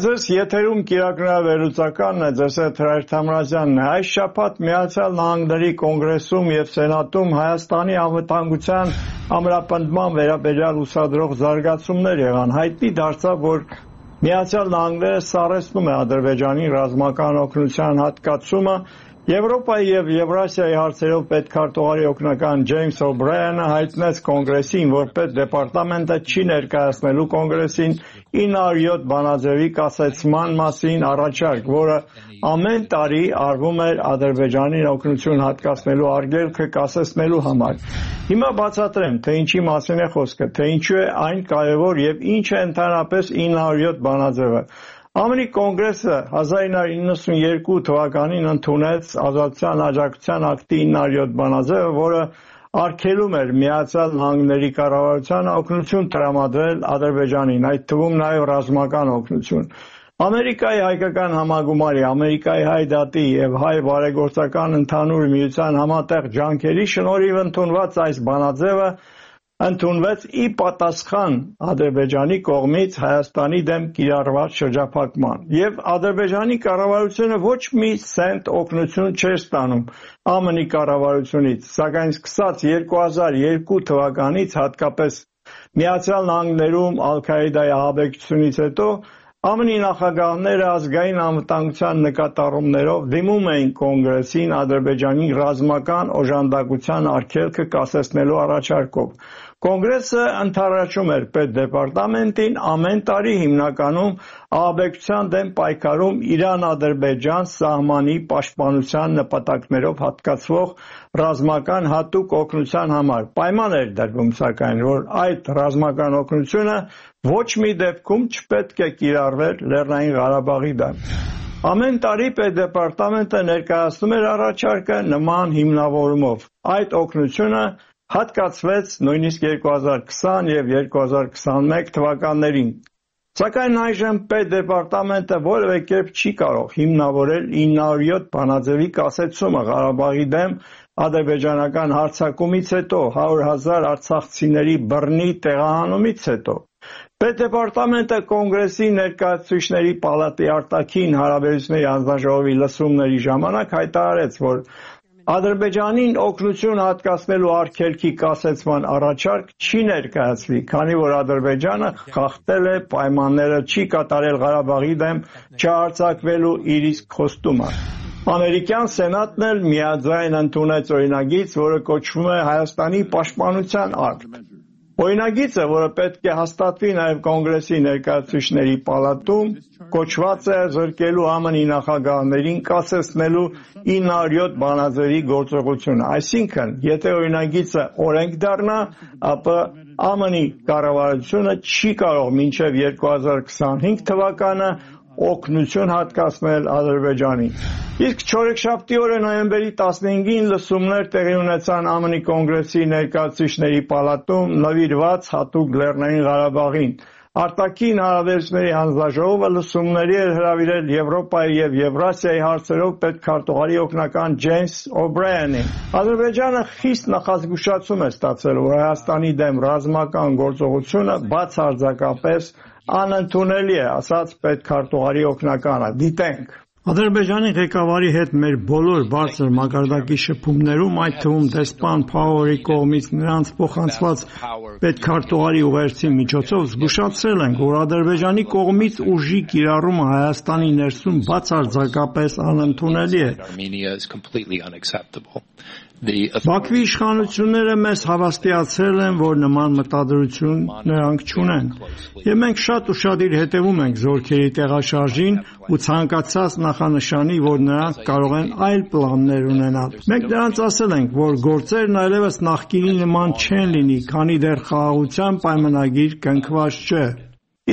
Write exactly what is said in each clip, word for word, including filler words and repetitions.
ձեզ եթերում կիրակրավերլուծականն է, ձեզ հետ Հրայր Թամրազյանն է։ Այս շաբաթ Միացյալ Նահանգների կոնգրեսում եւ Սենատում Հայաստանի անվտանգության ամրապնդման վերաբերյալ ուսադրող զարգացումներ եղան։ Հայտնի դարձավ, որ Միացյալ Նահանգները սառեցնում է Ադրբեջանի ռազմական օգնության հատկացումը։ Եվրոպայի եւ Եվրասիայի հարցերով պետքարտուղարի օգնական Ջեյմս Օբրայանը հայտնեց կոնգրեսին, որ պետդեպարտամենտը չի ներկայացնելու կոնգրեսին ինը հարյուր յոթ բանաձևի կասեցման մասին առաջարկ, որը ամեն տարի արվում էր Ադրբեջանին օգնություն հատկացնելու արգելքը կասեցնելու համար։ Հիմա բացատրեմ, թե ինչի մասին է խոսքը, թե ինչու է այն կարևոր եւ ինչ է ընդհանրապես ինը հարյուր յոթ բանաձևը։ ԱՄՆ-ի կոնգրեսը հազար ինը հարյուր նվաթ թվականին ընդունեց Ազատության աջակցության ակտի ինը հարյուր յոթ բանաձևը, որը արգելում էր Միացյալ Նահանգների կառավարությանը օգնություն տրամադրել Ադրբեջանին, այդ թվում նաև ռազմական օգնություն։ Ամերիկայի հայկական համագումարի, Ամերիկայի հայ դատի եւ հայ բարեգործական ընդհանուր միության համատեղ ջանքերի շնորհիվ ընդունված այս բանաձևը ընդունվեց ի պատասխան Ադրբեջանի կողմից Հայաստանի դեմ կիրառված շրջափակման, եւ Ադրբեջանի կառավարությունը ոչ մի սենտ օգնություն չէր ստանում ԱՄՆ-ի կառավարությունից, սակայն սկսած երկու հազար երկու թվականից, հատկապես Միացյալ Նահանգներում Ալ-Քաիդայի ահաբեկչությունից հետո ԱՄՆ-ի նախագահները ազգային անվտանգության նկատառումներով դիմում էին կոնգրեսին Ադրբեջանի ռազմական օժանդակության արգելքը կասեցնելու առաջարկով։ Կոնգրեսը ընդառաջում էր պետդեպարտամենտին ամեն տարի հիմնականում ահաբեկչության դեմ պայքարում Իրան-Ադրբեջան սահմանի պաշտպանության նպատակներով հատկացվող ռազմական հատուկ օգնության համար։ Պայման էր դրվում, սակայն, որ այդ ռազմական օգնությունը ոչ մի դեպքում չպետք է կիրառվեր Լեռնային Ղարաբաղի դեմ։ Ամեն տարի պետդեպարտամենտը ներկայացնում էր առաջարկը նման հիմնավորումով։ Այդ օգնությունը հատկացվեց նույնիսկ երկու հազար քսան եւ երկու հազար քսանմեկ թվականներին։ Սակայն այժմ պետդեպարտամենտը որևէ կերպ չի կարող հիմնավորել ինը հարյուր յոթ բանաձևի կասեցումը Ղարաբաղի դեմ ադրբեջանական հարձակումից հետո, հարյուր հազար արցախցիների բռնի տեղահանումից հետո։ Պետդեպարտամենտը կոնգրեսի ներկայացուցիչների պալատի արտաքին հարաբերությունների հանձնաժողովի լսումների ժամանակ հայտարարեց, որ Ադրբեջանին օգնություն հատկացնելու արգելքի կասեցման առաջարկ չի ներկայացվի, քանի որ Ադրբեջանը խախտել է պայմանները, չի կատարել Ղարաբաղի դեմ չհարձակվելու իր իսկ խոստումը։ Ամերիկյան Սենատն էլ միաձայն ընդունեց օրինագիծ, որը կոչվում է Հայաստանի պաշտպանության ակտ։ Օրինագիծը, որը պետք է հաստատվի նաև կոնգրեսի ներկայացուցիչների պալատում, կոչված է զրկելու ԱՄՆ-ի նախագահներին կասեցնելու ինը հարյուր յոթ բանաձևի գործողությունը։ Այսինքն, եթե օրինագիծը օրենք դառնա, ապա ԱՄՆ-ի կառավարությունը չի կարող մինչև երկու հազար քսանհինգ թվականը օգնություն հատկացնել Ադրբեջանին։ Իսկ չորեքշաբթի օրը նոյեմբերի տասնհինգին լսումներ տեղի ունեցան ԱՄՆ-ի կոնգրեսի ներկայացուցիչների պալատում նվիրված հատուկ Լեռնային Ղարաբաղին։ Արտաքին հարաբերությունների հանձնաժողովը լսումների էր հրավիրել Եվրոպայի եւ Եվրասիայի հարցերով պետքարտուղարի օգնական Ջեյմս Օբրայանին։ Ադրբեջանը խիստ նախազգուշացում է ստացել, որ Հայաստանի դեմ ռազմական գործողությունը բացարձակապես անընդունելի է, ասաց պետքարտուղարի օգնականը։ Դիտենք։ Ադրբեջանի ղեկավարի հետ մեր բոլոր բարձր մակարդակի շփումներում, այդ թվում դեսպան Փաուերի կողմից նրանց փոխանցված պետքարտուղարի ուղերձի միջոցով զգուշացրել ենք, որ Ադրբեջանի կողմից ուժի կիրառումը Հայաստանի ներսում բացարձակապես անընդունելի է։ Բաքվի իշխանությունները մեզ հավաստիացրել են, որ նման մտադրություն նրանք չունեն, եւ մենք շատ ուշադիր հետևում ենք զորքերի տեղաշարժին ու ցանկացած նախանշանի, որ նրանք կարող են այլ պլաններ ունենալ։ Մենք նրանց ասել ենք, որ գործերն այլևս նախկինի նման չեն լինի, քանի դեռ խաղաղության պայմանագիր կնքված չէ։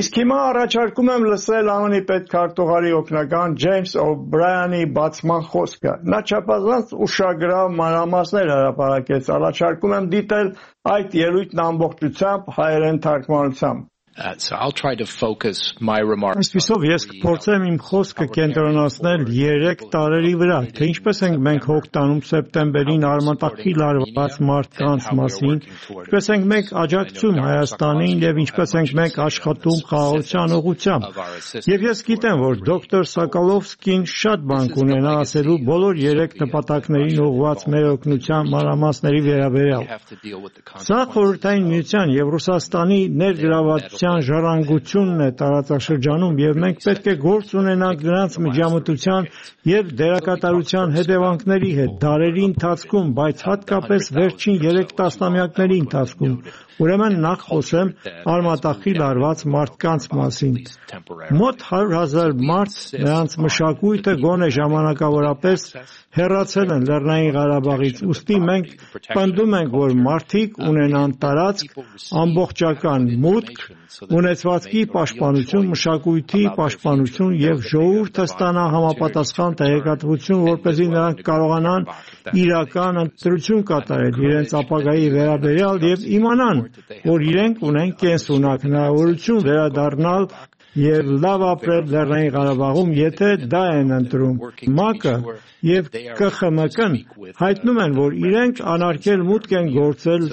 Իսկ հիմա առաջարկում եմ լսել ԱՄՆ-ի պետքարտուղարի օգնական Ջեյմս Օբրայանի բացման խոսքը։ Նա չափազանց ուշագրավ մանրամասներ հրապարակեց, առաջարկում եմ դիտել այդ ելույթն ամբողջությամբ հայերեն թարգմանությամբ։ Uh, so I'll try to focus my remarks. Այսպիսով ես կփորձեմ իմ խոսքը կենտրոնացնել երեք տարերի վրա, թե ինչպես ենք մենք հոգ տանում սեպտեմբերին արմատախիլ արված մարդկանց մասին, ինչպես ենք մենք աջակցում Հայաստանին եւ ինչպես ենք մենք աշխատում խաղաղության ուղղությամբ։ Եվ ես գիտեմ, որ դոկտոր Սոկոլովսկին շատ բան կունենա ասելու բոլոր երեք նպատակներին ուղղված մեր օգնության մանրամասների վերաբերյալ։ Սա Խորհրդային Միության եւ Ռուսաստանի ներգրավված ժառանգությունն է տարածաշրջանում եւ մենք պետք է գործ ունենանք նրանց միջամտության եւ դերակատարության հետևանքների հետ դարերի ընթացքում, բայց հատկապես վերջին երեք տասնամյակների ընթացքում։ Ուրեմն նախ խոսեմ արմատախիլ արված մարդկանց մասին։ Մոտ հարյուր հազար մարդ նրանց մշակույթը գոնե ժամանակավորապես հեռացել են Լեռնային Ղարաբաղից, ուստի մենք պնդում ենք, որ մարդիկ ունենան տարածք, ամբողջական մուտք, ունեցվածքի պաշտպանություն, մշակույթի պաշտպանություն եւ ժողովուրդը ստանա համապատասխան տեղեկատվություն, որպեսզի նրանք կարողանան իրական ընտրություն կատարել իրենց ապագայի վերաբերյալ եւ իմանան, որ իրենք ունեն կենսունակ հնարավորություն վերադառնալ եւ լավ ապրել Լեռնային Ղարաբաղում, եթե դա են ընտրում։ ՄԱԿ-ը եւ Կ Խ M K-ն հայտնում են, որ իրենք անարգել մուտք են գործել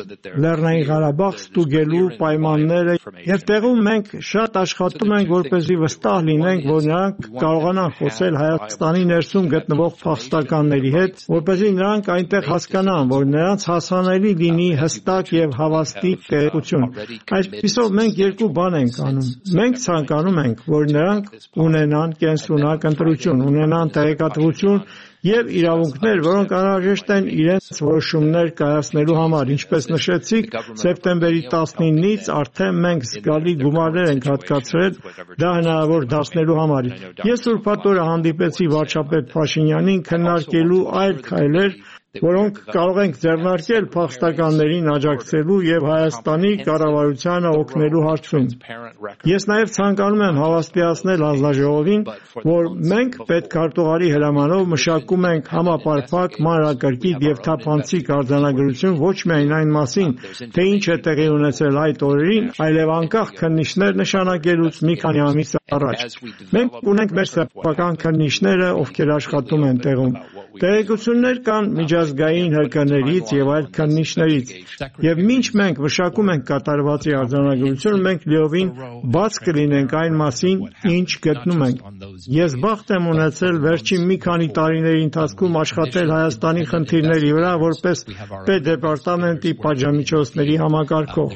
Լեռնային Ղարաբաղ ստուգելու պայմանները եւ տեղում մենք շատ աշխատում ենք, որպեսզի վստահ լինենք, որ նրանք կարողանան խոսել Հայաստանի ներսում գտնվող փախստականների հետ, որպեսզի նրանք այնտեղ հասկանան, որ նրանց հասանելի լինի հստակ եւ հավաստի տեղեկություն։ Այսպիսով մենք երկու բան ենք անում։ Մենք ցանկանում ենք, որ նրանք ունենան կենսունակ ընտրություն, ունենան տեղեկատվություն եւ իրավունքներ, որոնք անհրաժեշտ են իրենց որոշումներ կայացնելու համար։ Ինչպես նշեցիք, սեպտեմբերի տասնինից արդեն մենք զգալի գումարներ ենք հատկացրել դա հնարավոր դարձնելու համար։ Ես ուրբաթ օրը հանդիպեցի վարչապետ Փաշինյանին քննարկելու այլ քայլեր, որոնք կարող ենք ձեռնարկել փախստականներին աջակցելու եւ Հայաստանի կառավարությանը օգնելու հարցում։ Ես նաեւ ցանկանում եմ հավաստիացնել հանձնաժողովին, որ մենք պետքարտուղարի հրամանով մշակում ենք համապարփակ, մանրակրկիտ եւ թափանցիկ արձանագրություն ոչ միայն այն մասին, թե ինչ է տեղի ունեցել այդ օրերին, այլև անկախ քննիչներ նշանակելուց մի քանի ամիս առաջ։ Մենք ունենք մեր սեփական քննիչները, ովքեր աշխատում են տեղում։ Տեղեկություններ կան միջազգային հրկներից եւ այլ քննիչներից, եւ մինչ մենք մշակում ենք կատարվածի արձանագրություն, մենք լիովին բաց կլինենք այն մասին, ինչ գտնում ենք։ Ես բախտ եմ ունեցել վերջին մի քանի տարիների ընթացքում աշխատել Հայաստանի խնդիրների վրա որպես պետդեպարտամենտի պատժամիջոցների համակարգող։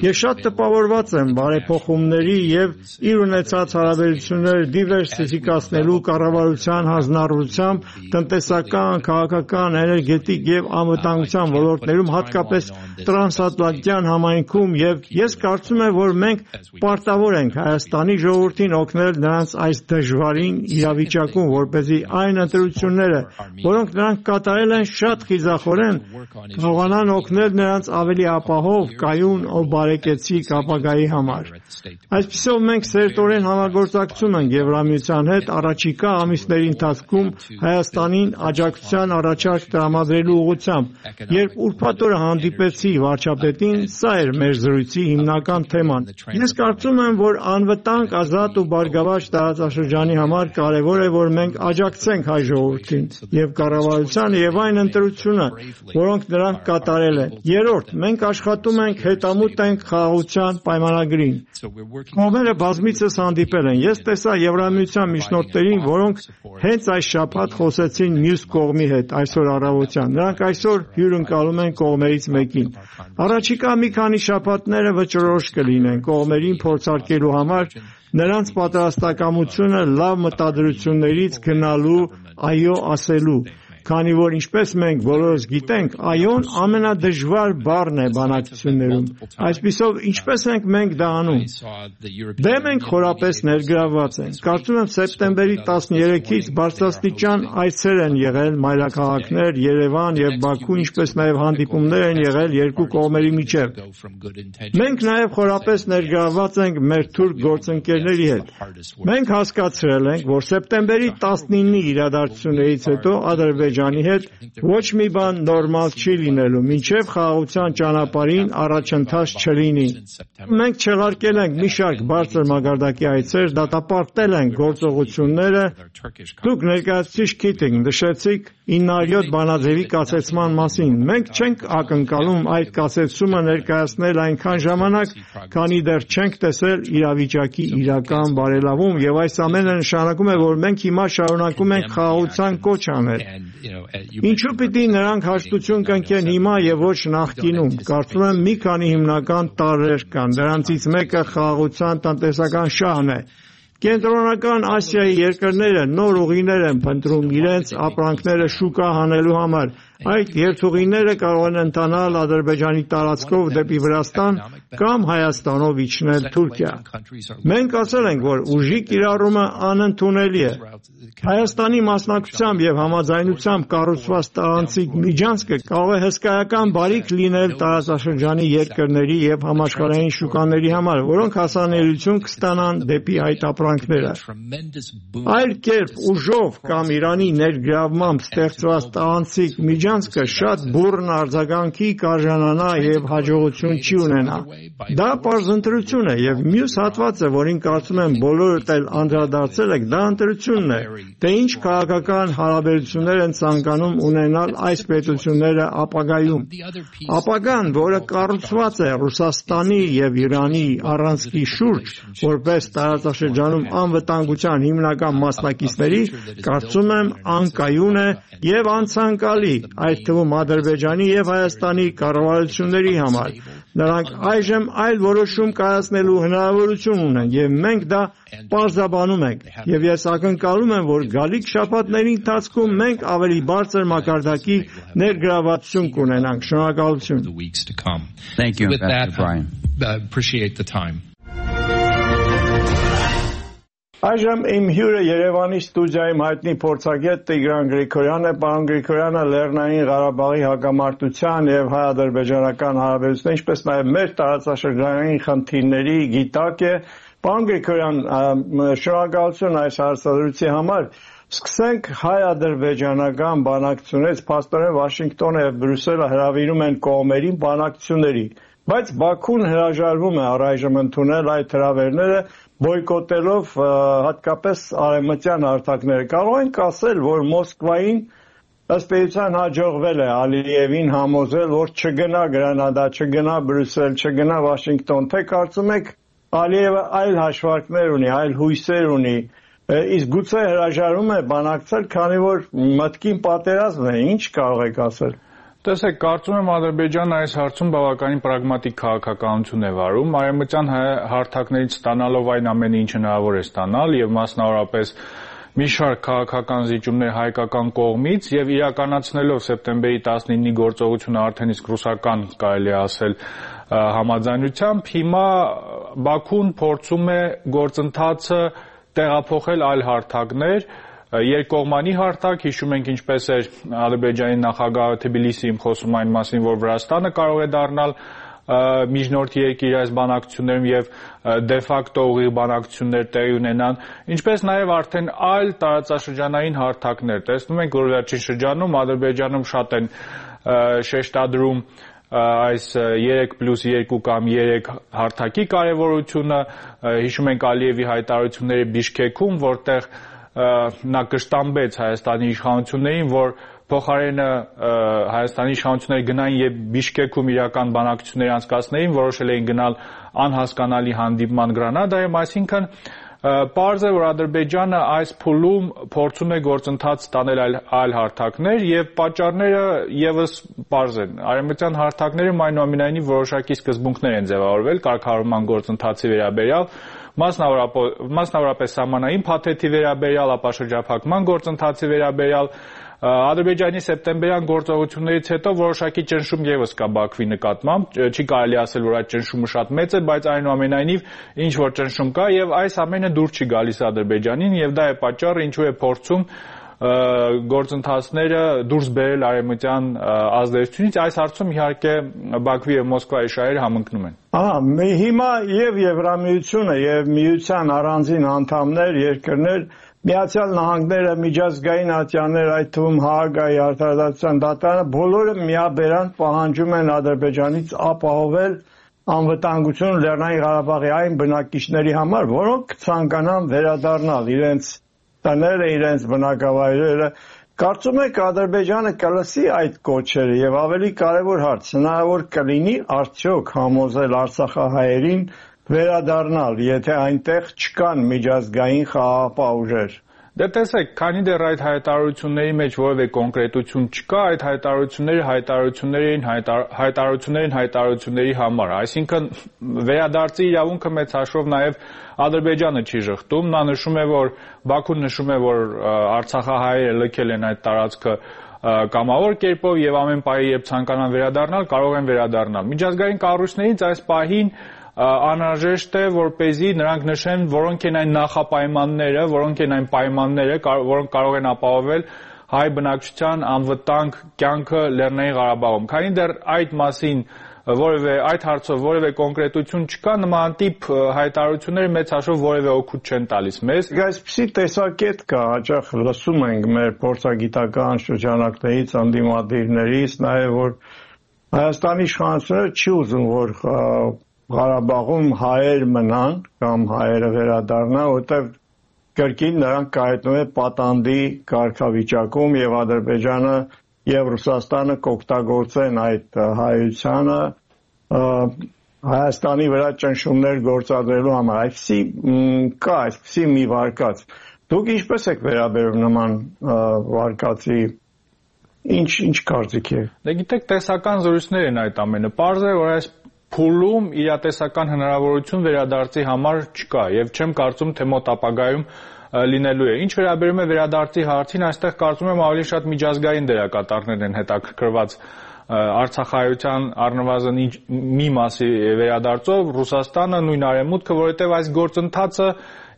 Ես շատ տպավորված եմ բարեփոխումների եւ իր ունեցած հարաբերությունները դիվերսիֆիկացնելու կառավարության հանձնառությամբ տնտեսական, քաղաքական, էներգետիկ եւ անվտանգության ոլորտներում, հատկապես տրանսատլանտյան համայնքում, եւ ես կարծում եմ, որ մենք պարտավոր ենք Հայաստանի ժողովրդին օգնել նրանց այս դժվարին իրավիճակում, որպեսզի այն ընտրությունները, որոնք նրանք կատարել են շատ խիզախորեն, կարողանան օգնել նրանց ավելի ապահով, կայուն ու բարեկեցիկ ապագայի համար։ Այսպիսով մենք սերտորեն համագործակցում ենք Եվրամիության հետ առաջիկա ամիսների ընթացքում Հայաստանին աջակցության առաջարկ տրամադրելու ուղղությամբ։ Երբ ուրբաթ օրը հանդիպեցի վարչապետին, սա էր մեր զրույցի հիմնական թեման։ Ես կարծում եմ, որ անվտանգ, ազատ ու բարգավաճ տարածաշրջանի համար կարևոր է, որ մենք աջակցենք հայ ժողովրդին եւ կառավարությանը եւ այն ընտրությունը, որոնք նրանք կատարել են։ Երրորդ, մենք աշխատում ենք հետամուտ ենք խաղաղության պայմանագրին։ Կողմերը բազմիցս հանդիպել են։ Ես տեսա Եվրամիության միջնորդներին, որոնք հենց այս շաբաթ խոսեցին մյուս կողմի հետ այսօր առավոտյան։ Նրանք այսօր հյուրընկալում են կողմերից մեկին։ Առաջիկա մի քանի շաբաթները վճռորոշ կլինեն կողմերին փորձարկելու համար նրանց պատրաստակամությունը լավ մտադրություններից գնալու այո ասելու։ Քանի որ ինչպես մենք բոլորս գիտենք, այոն ամենադժվար բառն է բանակցություններում։ Այսպիսով, ինչպես ենք մենք դա անում։ Դե մենք խորապես ներգրավված ենք։ Կարծում եմ սեպտեմբերի տասներեքից բարձրաստիճան այցեր են եղել մայրաքաղաքներ, Երևան եւ Բաքու, ինչպես նաեւ հանդիպումներ են եղել երկու կողմերի միջեւ։ Մենք նաեւ խորապես ներգրավված ենք մեր թուրք գործընկերների հետ։ Մենք հասկացրել ենք, որ սեպտեմբերի տասնինի իրադարձություններից հետո Ադրբեջանը Ադրբեջանի հետ ոչ մի բան նորմալ չի լինելու, մինչև խաղաղության ճանապարհին առաջընթաց չլինի։ Մենք չեղարկել ենք մի շարք բարձր մակարդակի այցեր, դատապարտել ենք գործողությունները։ Դուք ներկայացուցիչ Քիթինգ նշեցիք ինը հարյուր յոթ բանաձևի կասեցման մասին։ Մենք չենք ակնկալում այդ կասեցումը ներկայացնել այնքան ժամանակ, քանի դեռ չենք տեսել իրավիճակի իրական բարելավում, եւ այս ամենը նշանակում է, որ մենք հիմա շարունակում ենք խաղաղության կոչ անել։ Ինչու պիտի նրանք հաշտություն կնքեն հիմա եւ ոչ նախկինում։ Կարծում եմ մի քանի հիմնական տարրեր կան, դրանցից մեկը խաղաղության տնտեսական շահն է։ Կենտրոնական Ասիայի երկրները նոր ուղիներ են փնտրում իրենց ապրանքները շուկա հանելու համար։ Այդ երթուղիները կարող են ընթանալ Ադրբեջանի տարածքով դեպի Վրաստան կամ Հայաստանով իջնել Թուրքիա։ Մենք ասել ենք, որ ուժի կիրառումը անընդունելի է։ Հայաստանի մասնակցությամբ եւ համաձայնությամբ կառուցված տարանցիկ միջանցքը կարող է հսկայական բարիք լինել տարածաշրջանի երկրների եւ համաշխարհային շուկաների համար, որոնք հասանելիություն կստանան դեպի այդ ապրանքները։ Այլ կերպ ուժով կամ Իրանի ներգրավմամբ ստեղծված տարանցիկ միջանցքը շատ բուռն արձագանքի կարժանանա եւ հաջողություն չի ունենա։ Դա պարզ ընտրություն է եւ մյուս հատվածը, որին կարծում եմ բոլորդ էլ անդրադարձել եք, դա ընտրությունն է։ Թե ինչ քաղաքական հարաբերություններ են ցանկանում ունենալ այս պետությունները ապագայում։ Ապագան, որը կառուցված է Ռուսաստանի եւ Իրանի առանցքի շուրջ, որպես տարածաշրջանում անվտանգության հիմնական մասնակիցների, կարծում եմ անկայուն է եւ անցանկալի, այդ թվում Ադրբեջանի եւ Հայաստանի կառավարությունների համար։ Նրանք այժմ այլ որոշում կայացնելու հնարավորություն ունեն եւ մենք դա պարզաբանում ենք եւ ես ակնկալում եմ, որ գալիք շաբաթների ընթացքում մենք ավելի բարձր մակարդակի ներգրավվածություն կունենանք։ Շնորհակալություն։ Thank you, Ambassador Brian. Appreciate the time. Այժմ իմ հյուրը Երևանի ստուդիայում հայտնի փորձագետ Տիգրան Գրիգորյանն է։ Պարոն Գրիգորյանը Լեռնային Ղարաբաղի հակամարտության եւ հայ-ադրբեջանական հարաբերությունների, ինչպես նաեւ մեր տարածաշրջանային խնդիրների գիտակ է։ Պարոն Գրիգորյան, շնորհակալություն այս հարցադրույցի համար։ Սկսենք հայ-ադրբեջանական բանակցությունից, փաստորեն Վաշինգտոնը եւ Բրյուսելը հրավիրում են կողմերին բանակցությունների, բայց Բաքուն հրաժարվում է առայժմ ընդունել այդ հրավերները, բոյկոտելով հատկապես արևմտյան հարթակները։ Կարող ենք ասել, որ Մոսկվային ըստ էության հաջողվել է Ալիևին համոզել, որ չգնա Գրանադա, չգնա Բրյուսել, չգնա Վաշինգտոն, թե կարծում եք Ալիևը այլ հաշվարկներ ունի, այլ հույսեր ունի, իսկ գուցե հրաժարվում է բանակցել, քանի որ մտքին պատերազմ է, ինչ կարող եք ասել։ Տեսեք, կարծում եմ Ադրբեջանը այս հարցում բավականին պրագմատիկ քաղաքականություն է վարում, արևմտյան հարթակներից ստանալով այն ամենը, ինչ հնարավոր է ստանալ եւ մասնավորապես մի շարք քաղաքական զիջումներ հայկական կողմից եւ իրականացնելով սեպտեմբերի տասնինի գործողությունը արդեն իսկ ռուսական կարելի է ասել համաձայնությամբ, հիմա Բաքուն փորձում է գործընթացը տեղափոխել այլ հարթակներ, երկկողմանի հարթակ, հիշում ենք ինչպես էր Ադրբեջանի նախագահը Թբիլիսիում խոսում այն մասին, որ Վրաստանը կարող է դառնալ միջնորդի երկիր այս բանակցություններում եւ դե ֆակտո ուղիղ բանակցություններ տեղի ունենան, ինչպես նաեւ արդեն այլ տարածաշրջանային հարթակներ։ Տեսնում ենք, որ վերջին շրջանում Ադրբեջանում շատ են շեշտադրում այս երեք պլյուս երկու կամ երեք հարթակի կարևորությունը, հիշում ենք Ալիևի հայտարարությունները Բիշքեքում, որտեղ նա կշտամբեց Հայաստանի իշխանություններին, որ փոխարենը Հայաստանի իշխանությունները գնային եւ Բիշկեքում իրական բանակցություններ անցկացնեին, որոշել էին գնալ անհասկանալի հանդիպման Գրանադայում, այսինքն պարզ է, որ Ադրբեջանը այս փուլում փորձում է գործընթաց ստանել այլ հարթակներ եւ պատճառները եւս պարզ են։ Արևմտյան հարթակներում այնուամենայնիվ որոշակի սկզբունքներ են ձևավորվել կարգավորման գործընթացի վերաբերյալ, մասնավորապես սահմանային փաթեթի վերաբերյալ, ապա շրջափակման գործընթացի վերաբերյալ, Ադրբեջանի սեպտեմբերյան գործողություններից հետո որոշակի ճնշում ևս կա Բաքվի նկատմամբ, չի կարելի ասել, որ այդ ճնշումը շատ մեծ է, բայց այնուամենայնիվ ինչ որ ճնշում կա եւ այս ամենը դուր չի գալիս Ադրբեջանին եւ դա է պատճառը, ինչու է փորձում գործընթացները դուրս բերել արևմտյան ազդեցությունից, այս հարցում իհարկե Բաքվի եւ Մոսկվայի շահերը համընկնում են։ Ահա, հիմա եւ Եվրամիությունը եւ միության առանձին անդամներ, երկրներ Միացյալ Նահանգները, միջազգային ատյաններ, այդ թվում Հաագայի արտադրության դատարանը բոլորը միաբերան պահանջում են Ադրբեջանից ապահովել անվտանգություն Լեռնային Ղարաբաղի այն բնակիչների համար, որոնք ցանկանան վերադառնալ իրենց տները, իրենց բնակավայրերը։ Կարծում եք Ադրբեջանը կլսի այդ կոչերը եւ ավելի կարեւոր հարց, հնարավոր կլինի արդյոք համոզել արցախահայերին վերադառնալ, եթե այնտեղ չկան միջազգային խաղաղապահ ուժեր։ Դե տեսեք, քանի դեռ այդ հայտարարությունների մեջ որևէ կոնկրետություն չկա, այդ հայտարարությունները հայտարարություններին հայտարարություններին հայտարարությունների համար, այսինքն վերադարձի իրավունքը մեծ հաշվով նաև Ադրբեջանը չի շղթում, նա նշում է, որ Բաքուն նշում է, որ արցախահայերը լքել են այդ տարածքը կամավոր կերպով եւ ամեն պահի երբ ցանկանան վերադառնալ, կարող են վերադառնալ։ Միջազգային կառույցներից այս պահին անհրաժեշտ է, որպեսզի նրանք նշեն, որոնք են այն նախապայմանները, որոնք են այն պայմանները, որոնք կարող են ապահովել հայ բնակչության անվտանգ կյանքը Լեռնային Ղարաբաղում։ Քանի դեռ այդ մասին որևէ այդ հարցով որևէ կոնկրետություն չկա, նմանատիպ հայտարարությունները մեծ հաշվով որևէ օգուտ չեն տալիս մեզ։ Այսպիսի տեսակետ կա, հաճախ լսում ենք մեր փորձագիտական շրջանակներից, անդիմադիրներից, նաև որ Հայաստանի իշխանությունները չի ուզում, որ Ղարաբաղում հայեր մնան կամ հայերը վերադառնան, որտեղ կրկին նրանք կայացնում են պատանդի կարգավիճակում եւ Ադրբեջանը եւ Ռուսաստանը կօգտագործեն այդ հայությանը Հայաստանի վրա ճնշումներ գործադրելու համար։ Այսպիսի կա, այսպիսի մի վարկած։ Դուք ինչպես եք վերաբերում նման վարկածի, ինչ ինչ կարծիք է։ Դե գիտեք, տեսական զրույցներ են այդ ամենը։ Պարզ է, որ այս փուլում իրատեսական հնարավորություն վերադարձի համար չկա եւ չեմ կարծում, թե մոտ ապագայում լինելու է։ Ինչ վերաբերում է վերադարձի հարցին, այստեղ կարծում եմ ավելի շատ միջազգային դերակատարներ են հետաքրքրված արցախայության առնվազն մի մասի վերադարձով, Ռուսաստանը, նույն Արևմուտքը, որովհետև այս գործընթացը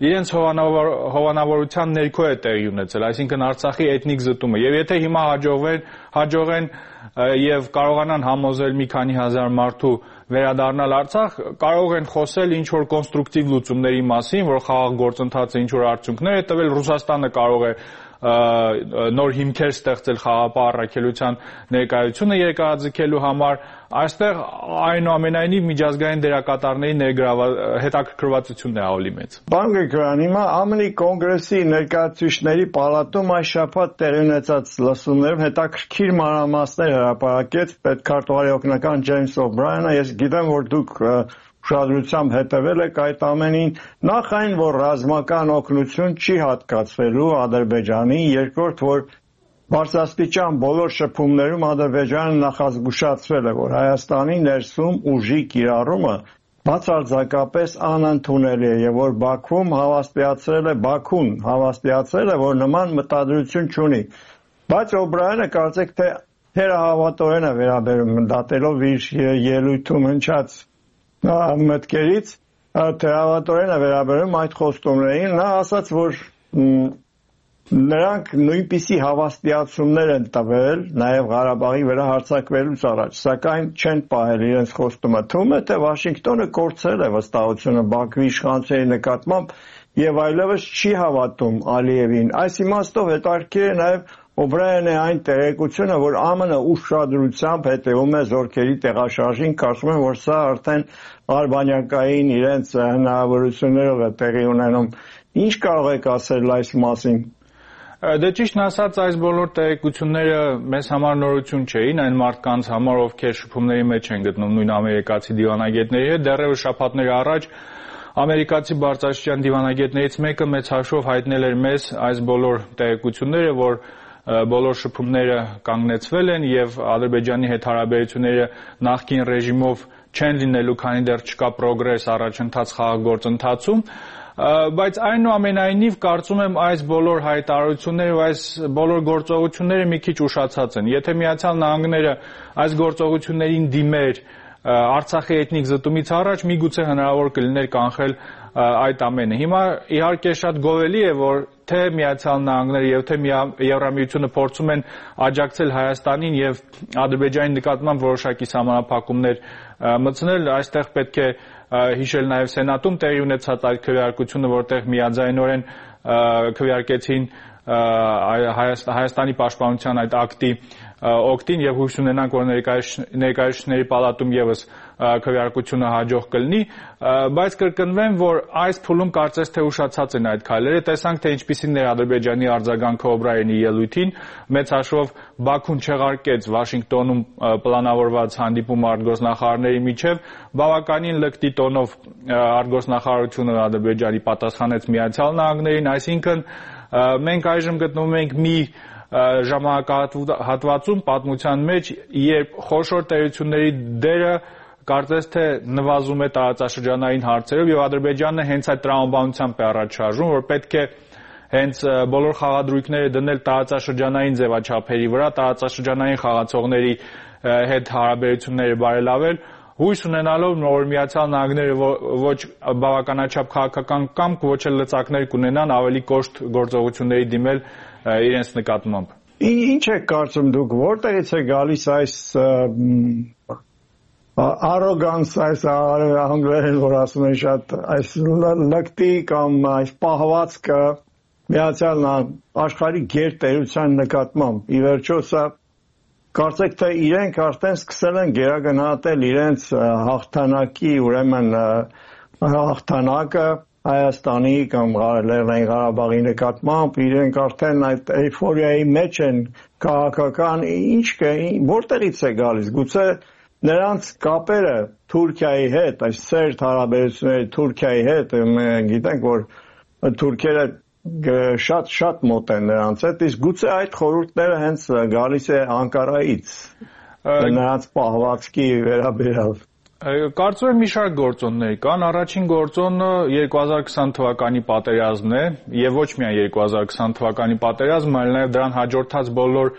իրենց հովանավորության ներքո է տեղի ունեցել, այսինքն Արցախի էթնիկ զտումը։ Եվ եթե հիմա հաջողվեն, հաջողեն եւ կարողանան համոզել մի քանի հազար մարդու վերադառնալ Արցախ, կարող են խոսել ինչ որ կոնստրուկտիվ լուծումների մասին, որ խաղաղ գործընթացը ինչ որ արդյունքներ է տվել, Ռուսաստանը կարող է նոր հիմքեր ստեղծել խաղաղապահ առաքելության ներկայությունը երկարաձգելու համար, այստեղ այնուամենայնիվ միջազգային դերակատարների հետաքրքրվածությունն է ավելի մեծ։ Պարոն Գրիգորյան, հիմա ԱՄՆ-ի կոնգրեսի ներկայացուցիչների պալատում այս շաբաթ տեղի ունեցած լսումներում հետաքրքիր մանրամասներ հրապարակեց պետքարտուղարի օգնական Ջեյմս Օբրայանը։ Ես գիտեմ, որ դուք ուշադրությամբ հետևել եք այդ ամենին, նախ այն, որ ռազմական օգնություն չի հատկացվելու Ադրբեջանին, երկրորդ, որ բարձրաստիճան բոլոր շփումներում Ադրբեջանը նախազգուշացրել է, որ Հայաստանի ներսում ուժի կիրառումը բացարձակապես անընդունելի է եւ որ Բաքվում հավաստիացրել է Բաքուն հավաստիացրել է, որ նման մտադրություն չունի։ Բայց Օբրայանը կարծեք թե թերահավատորեն է վերաբերում, դատելով իր ելույթում հնչած մտքերից, թերահավատորեն է վերաբերում այդ խոստումներին, նա ասաց, որ նրանք նույնպիսի հավաստիացումներ են տվել նաև Ղարաբաղի վրա հարձակվելուց առաջ, սակայն չեն պահել իրենց խոստումը։ Թվում է, թե Վաշինգտոնը կորցրել է վստահությունը Բաքվի իշխանությունների նկատմամբ եւ այլևս չի հավատում Ալիևին։ Այս իմաստով հետաքրքիր է նաև Օբրայանի այն տեղեկությունը, որ ԱՄՆ-ը ուշադրությամբ հետևում է զորքերի տեղաշարժին, կարծում եմ, որ սա արդեն արբանյակային իրենց հնարավորություններով է տեղի ունենում։ Ինչ կարող եք ասել այս մասին։ Դե ճիշտն ասած, այս բոլոր տեղեկությունները մեզ համար նորություն չէին, այն մարդկանց համար, ովքեր շփումների մեջ են գտնում նույն ամերիկացի դիվանագետների հետ, դեռևս շաբաթներ առաջ ամերիկացի բարձրաստիճան դիվանագետներից մեկը մեծ հաշվով հայտնել էր մեզ այս բոլոր տեղեկությունները, որ բոլոր շփումները կանգնեցվել են եւ Ադրբեջանի հետ հարաբերությունները նախկին ռեժիմով չեն լինելու, քանի դեռ չկա պրոգրես առաջընթաց խաղաղ գործընթացում, բայց այնուամենայնիվ կարծում եմ այս բոլոր հայտարարությունները, այս բոլոր գործողությունները մի քիչ ուշացած են։ Եթե Միացյալ Նահանգները այս գործողություններին դիմեր Արցախի էթնիկ զտումից առաջ, միգուցե հնարավոր կլիներ կանխել այդ ամենը։ Հիմա իհարկե շատ գովելի է, որ թե Միացյալ Նահանգները եւ թե Եվրամիությունը փորձում են աջակցել Հայաստանին եւ Ադրբեջանի նկատմամբ որոշակի սահմանափակումներ մտցնել, այստեղ պետք է հիշել նաև Սենատում տեղի ունեցած այդ քվեարկությունը, որտեղ միաձայնորեն քվեարկեցին Հայաստանի պաշտպանության այդ ակտի օգտին եւ հույս ունենանք, որ ներկայացուցիչների պալատում եւս քվեարկությունը հաջող կլինի, բայց կրկնվեմ, որ այս փուլում կարծես թե ուշացած են այդ քայլերը, տեսանք թե ինչպիսին էր Ադրբեջանի արձագանքը Օբրայենի ելույթին, մեծ հաշվով Բաքուն չեղարկեց Վաշինգտոնում պլանավորված հանդիպում արտգործնախարարների միջև, բավականին լկտի տոնով արտգործնախարարությունը Ադրբեջանի պատասխանեց Միացյալ Նահանգներին, այսինքն մենք այժմ գտնվում ենք մի ժամանակահատվածում պատմության մեջ, երբ խոշոր տերությունների դերը կարծես թե նվազում է տարածաշրջանային հարցերով եւ Ադրբեջանը հենց այդ տրամաբանությամբ է առաջ շարժում, որ պետք է հենց բոլոր խաղադրույքները դնել տարածաշրջանային ձևաչափերի վրա, տարածաշրջանային խաղացողների հետ հարաբերությունները բարելավել, հույս ունենալով, որ Միացյալ Նահանգները ոչ բավականաչափ քաղաքական կամք, ոչ էլ լծակներ կունենան ավելի կոշտ գործողությունների դիմել իրենց նկատմամբ։ Ինչ եք կարծում դուք, որտեղից է գալիս այս arrogance, այս անգլերեն որ ասում են շատ, այս լկտի կամ այս պահվածքը Միացյալ աշխարհի գերտերության նկատմամբ։ Ի վերջո սա կարծեք թե իրենք արդեն սկսել են գերագնահատել իրենց հաղթանակի, ուրեմն հաղթանակը Հայաստանի կամ Լեռնային Ղարաբաղի նկատմամբ, իրենք արդեն այդ էյֆորիայի մեջ են քաղաքական, ինչ կա, որտեղից է գալիս, գուցե նրանց կապերը Թուրքիայի հետ, այս սերտ հարաբերությունների Թուրքիայի հետ, գիտենք, որ թուրքերը շատ շատ մոտ են նրանց հետ, իսկ գուցե այդ խորհուրդները հենց գալիս է Անկարայից, նրանց պահվածքի վերաբերյալ։ Կարծում եմ մի շարք գործոններ կան, առաջին գործոնը երկու հազար քսան թվականի պատերազմն է եւ ոչ միայն երկու հազար քսան թվականի պատերազմը, այլ նաեւ դրան հաջորդած բոլոր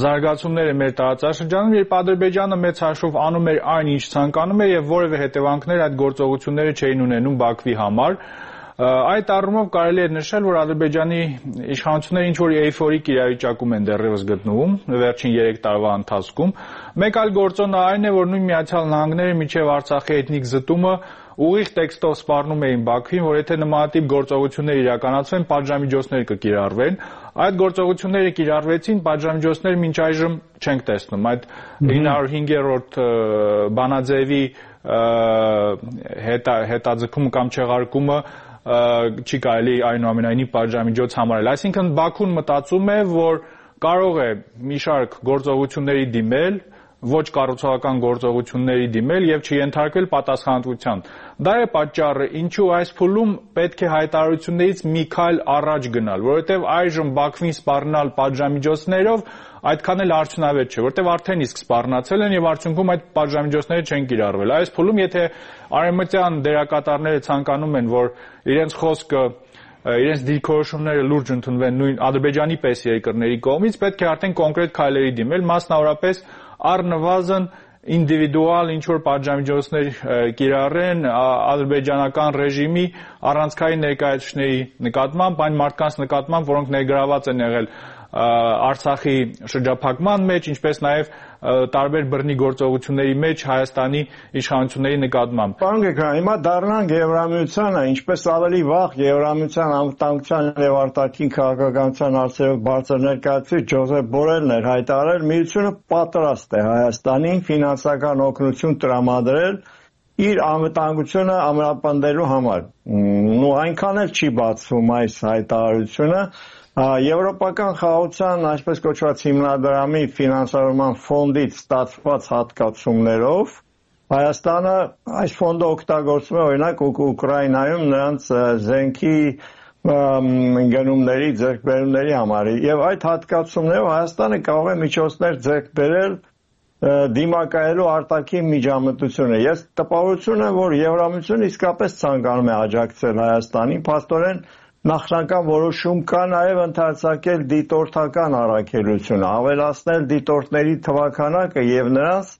զարգացումները մեր տարածաշրջանում, երբ Ադրբեջանը մեծ հաշվով անում էր այն, ինչ ցանկանում էր եւ որևէ հետևանքներ այդ գործողությունները չէին ունենում Բաքվի համար։ Այդ առումով կարելի է նշել, որ Ադրբեջանի իշխանությունները ինչ-որ էյֆորիկ իրավիճակում են դեռևս գտնվում վերջին երեք տարվա ընթացքում։ Մեկ այլ գործոնը այն է, որ նույն Միացյալ Նահանգները մինչև Արցախի էթնիկ զտումը ուղիղ տեքստով սպառնում էին Բաքվին, որ եթե նմանատիպ գործողություններ իրականացվեն, պատժամիջոցներ կկիրառվեն։ Այդ գործողությունները կիրառվեցին, պատժամիջոցներ մինչ այժմ չենք տեսնում։ Այդ ինը հարյուր հինգերորդ բանաձևի հետաձգումը կամ չեղարկումը չի կարելի այնուամենայնիվ պատժամիջոց համարել։ Այսինքն Բաքուն մտածում է, որ կարող է մի շարք գործողությունների դիմել, ոչ կառուցողական գործողությունների դիմել եւ չենթարկվել պատասխանատվության։ Դա է պատճառը, ինչու այս փուլում պետք է հայտարարություններից մի քայլ առաջ գնալ, որովհետեւ այժմ Բաքվին սպառնալ պատժամիջոցներով այդքան էլ արդյունավետ չէ, որովհետեւ արդեն իսկ սպառնացել են եւ արդյունքում այդ պատժամիջոցները չեն կիրառվել։ Այս փուլում եթե արևմտյան դերակատարները ցանկանում են, որ իրենց խոսքը, իրենց դիրքորոշումները լուրջ ընդունվեն նույն Ադրբեջանի պես երկրների կողմից, պետք է արդեն կոնկրետ քայլերի դիմել, մասնավորապես առնվազն ինդիվիդուալ ինչ-որ պատժամիջոցներ կիրառեն ադրբեջանական ռեժիմի առանցքային ներկայացուցիչների նկատմամբ, այն մարդկանց նկատմամբ, որոնք ներգրաված են եղել Արցախի շրջափակման մեջ, ինչպես նաև տարբեր բռնի գործողությունների մեջ Հայաստանի իշխանությունների նկատմամբ։ Պարոն Գեգրան, հիմա դառնանք Եվրամիությանը, ինչպես ավելի վաղ Եվրամիության անվտանգության եւ արտաքին քաղաքականության հարցերով բարձր ներկայացուցիչ Ջոզեփ Բորելն էր հայտարարել, միությունը պատրաստ է Հայաստանին ֆինանսական օգնություն տրամադրել իր անվտանգությունը ամրապնդելու համար։ Ու այնքան էլ չի բացվում այս հայտարարությունը։ Եվրոպական խաղաղության, այսպես կոչված հիմնադրամի ֆինանսավորման ֆոնդից ստացված հատկացումներով Հայաստանը այս ֆոնդը օգտագործում է օրինակ Ուկրաինայում նրանց զենքի գնումների, ձեռքբերումների համար եւ այդ հատկացումներով Հայաստանը կարող է միջոցներ ձեռք բերել դիմակայելու արտաքին միջամտությունը։ Ես տպավորություն եմ, որ Եվրամիությունը իսկապես ցանկանում է աջակցել Հայաստանին, փաստորեն նախնական որոշում կա նաև ընդարձակել դիտորդական առաքելությունը, ավելացնել դիտորդների թվաքանակը եւ նրանց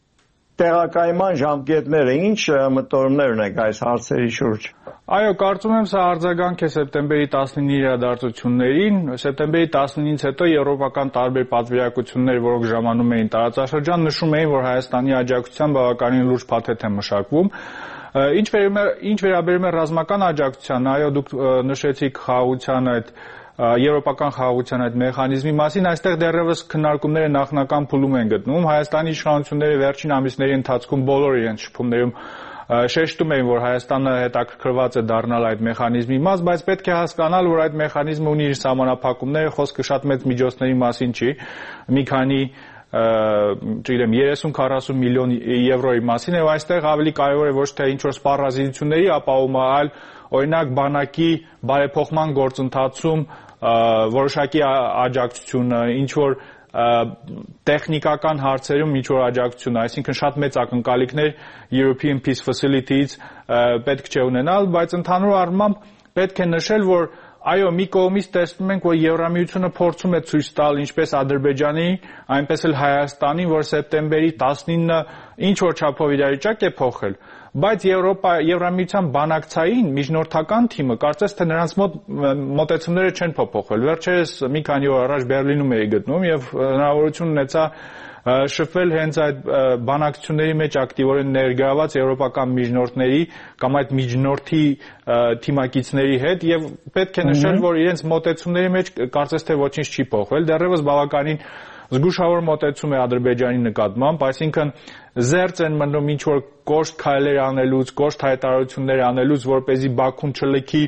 տեղակայման ժամկետները։ Ինչ մտորումներ ունեք այս հարցերի շուրջ։ Այո, կարծում եմ սա արձագանք է սեպտեմբերի տասնինի իրադարձություններին։ Սեպտեմբերի տասնինից հետո եվրոպական տարբեր պատվիրակություններ, որոնք ժամանում էին տարածաշրջան, նշում էին, որ Հայաստանի աջակցության բավականին լուրջ փաթեթ է մշակվում։ Ինչ վերաբերում է ռազմական աջակցության, այո, դուք նշեցիք խաղաղության այդ եվրոպական խաղաղության այդ մեխանիզմի մասին, այստեղ դեռևս քննարկումները նախնական փուլում են գտնվում։ Հայաստանի իշխանությունները վերջին ամիսների ընթացքում բոլոր իրենց շփումներում շեշտում էին, որ Հայաստանը հետաքրքրված է դառնալ այդ մեխանիզմի մաս, բայց պետք է հասկանալ, որ այդ մեխանիզմը ունի իր սահմանափակումները, խոսքը շատ մեծ միջոցների մասին չի, մի քանի չգիտեմ երեսուն քառասուն միլիոն եվրոյի մասին է, այստեղ ավելի կարևոր է ոչ թե ինչ-որ սպառազինությունների ապահովումը, այլ օրինակ բանակի բարեփոխման գործընթացում որոշակի աջակցությունը, ինչ-որ տեխնիկական հարցերում ինչ-որ աջակցություն, այսինքն շատ մեծ ակնկալիքներ European Peace Facility-ից պետք չէ ունենալ, բայց ընդհանուր առմամբ պետք է նշել, որ այո, մի կողմից տեսնում ենք, որ Եվրամիությունը փորձում է ցույց տալ ինչպես Ադրբեջանի, այնպես էլ Հայաստանին, որ սեպտեմբերի տասնինը ինչ որ չափով իրավիճակ է փոխել, բայց Եվրոպա Եվրամիության բանակցային միջնորդական թիմը կարծես թե նրանց մոտ մոտեցումները չեն փոփոխվել։ Վերջերս մի քանի օր առաջ Բերլինում էի գտնում եւ հնարավորություն ունեցա շփվել հենց այդ բանակցությունների մեջ ակտիվորեն ներգրաված եվրոպական միջնորդների կամ այդ միջնորդի թիմակիցների հետ եւ պետք է նշել, որ իրենց մոտեցումների մեջ կարծես թե ոչինչ չի փոխվել, դեռևս բավականին զգուշավոր մոտեցում է Ադրբեջանի նկատմամբ, այսինքն զերծ են մնում ինչ որ կոշտ քայլեր անելուց, կոշտ հայտարարություններ անելուց, որպեսզի Բաքուն չլքի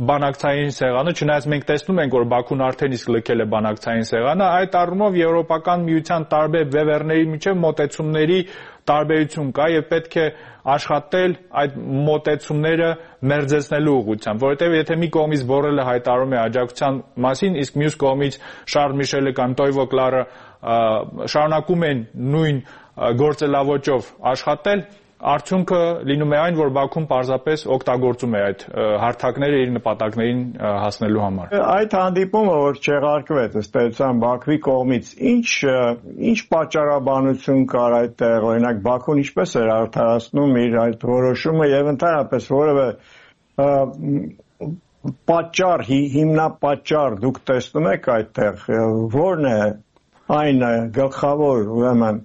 բանակցային սեղանը, չնայած մենք տեսնում ենք, որ Բաքուն արդեն իսկ լքել է բանակցային սեղանը, այդ առումով Եվրոպական միության տարբեր վեվերների միջև մոտեցումների տարբերություն կա եւ պետք է աշխատել այդ մոտեցումները մերձեցնելու ուղղությամբ, որովհետեւ եթե մի կողմից Բորելը հայտարարում է աջակցության մասին, իսկ մյուս կողմից Շարլ Միշելը կամ Տոյվո Կլարը շարունակում են նույն գործելավոճով աշխատել, արդյունքը լինում է այն, որ Բաքուն պարզապես օգտագործում է այդ հարթակները իր նպատակներին հասնելու համար։ Այդ հանդիպումը, որ չեղարկվեց ըստ էության Բաքվի կողմից, ինչ ինչ պատճառաբանություն կար այդտեղ, օրինակ Բաքուն ինչպես էր արդարացնում իր այդ որոշումը եւ ընդհանրապես որևէ պատճառ, հիմնապատճառ դուք տեսնում եք այդտեղ, ո՞րն է այն գլխավոր, ուրեմն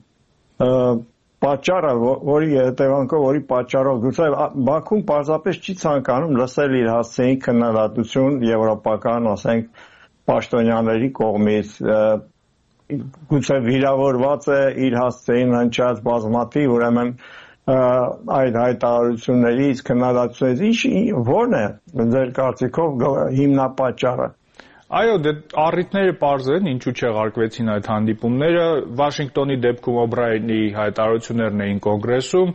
պատճառը, որի հետևանքով, որի պատճառով գուցե Բաքուն պարզապես չի ցանկանում լսել իր հասցեին քննադատություն եվրոպական, ասենք, պաշտոնյաների կողմից, գուցե վիրավորված է իր հասցեին հնչած բազմաթիվ, ուրեմն այդ հայտարարություններից, քննադատություններից, ո՞րն է ձեր կարծիքով հիմնապատճառը։ Այո, դե առիթները պարզ են, ինչու չեղարկվեցին այդ հանդիպումները, Վաշինգտոնի դեպքում Օբրայենի հայտարարություններն էին կոնգրեսում,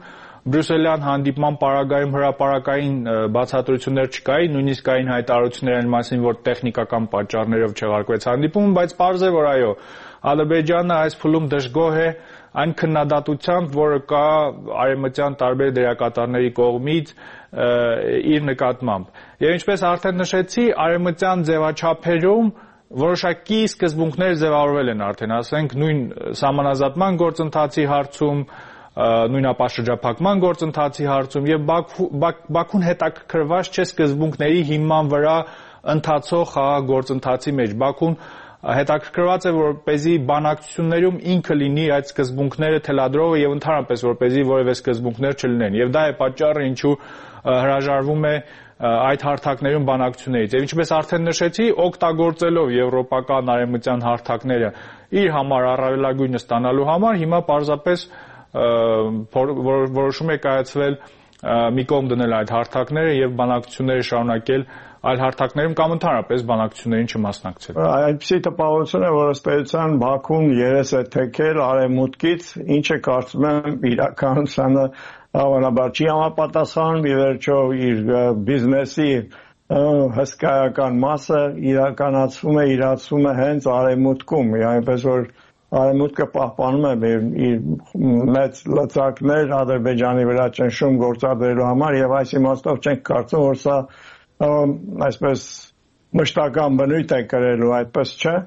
Բրյուսելյան հանդիպման պարագայում հրապարակային բացատրություններ չկային, նույնիսկ կային հայտարարություններ այն մասին, որ տեխնիկական պատճառներով չեղարկվեց հանդիպումը, բայց պարզ է, որ այո, Ադրբեջանը այս փուլում դժգոհ է այն քննադատությամբ, որը կա արևմտյան տարբեր դերակատարների կողմից իր նկատմամբ։ Եվ ինչպես արդեն նշեցի, արևմտյան ձևաչափերում որոշակի սկզբունքներ ձևավորվել են արդեն, ասենք նույն սահմանազատման գործընթացի հարցում, նույն ապաշրջափակման գործընթացի հարցում եւ Բաքուն հետաքրքրված չէ սկզբունքների հիման վրա ընթացող խաղաղ գործընթացի մեջ։ Բաքուն հետաքրքրված է, որպեսզի բանակցություններում ինքը լինի այդ սկզբունքները թելադրողը եւ ընդհանրապես որպեսզի որևէ սկզբունքներ չլինեն։ Եվ դա է պատճառը, ինչու հրաժարվում է այդ հարթակներում բանակցություններից։ Եվ ինչպես արդեն նշեցի, օգտագործելով եվրոպական արևմտյան հարթակները իր համար առավելագույնը ստանալու համար, հիմա պարզապես որոշում է կայացվել մի կողմ դնել այդ հարթակները եւ բանակցությունները շարունակել այլ հարթակներում կամ ընդհանրապես բանակցություններին չմասնակցել։ Այնպիսի տպավորություն է, որ ըստ էության Բաքուն երես է թեքել արևմուտքից, ինչը կարծում եմ իրականությանը հավանաբար չի համապատասխանում, ի վերջո իր բիզնեսի հսկայական մասը իրականացվում է, իրացվում է հենց արևմուտքում, այնպես որ Արևմուտքը պահպանում է իր մեծ լծակներ Ադրբեջանի վրա ճնշում գործադրելու համար եւ այս իմաստով չենք կարծում, որ սա այսպես մշտական բնույթ է կրելու, այդպես չէ։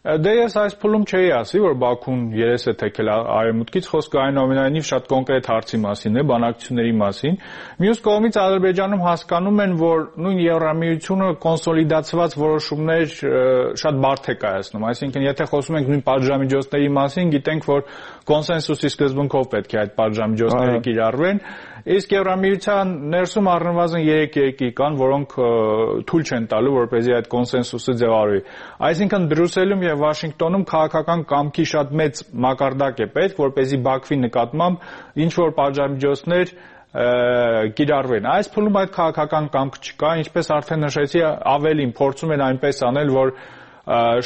Դե ես այս փուլում չէի ասի, որ Բաքուն երես է թեքել արևմուտքից, խոսքը այնուամենայնիվ շատ կոնկրետ հարցի մասին է, բանակցությունների մասին։ Մյուս կողմից Ադրբեջանում հասկանում են, որ նույն Եվրամիությունը կոնսոլիդացված որոշումներ շատ բարդ է կայացնում, այսինքն եթե խոսում ենք նույն պատժամիջոցների մասին, գիտենք, որ կոնսենսուսի սկզբունքով պետք է այդ պատժամիջոցները կիրառվեն, Իսկ Եվրամիության ներսում առնվազն երեք երկիր կան, որոնք թույլ չեն տալու, որպեսզի այդ կոնսենսուսը ձևավորվի։ Այսինքն Բրյուսելում եւ Վաշինգտոնում քաղաքական կամքի շատ մեծ մակարդակ է պետք, որպեսզի Բաքվի նկատմամբ ինչ որ պատժամիջոցներ կիրառվեն։ Այս փուլում այդ քաղաքական կամք չկա, ինչպես արդեն նշեցի, ավելին փորձում են այնպես անել, որ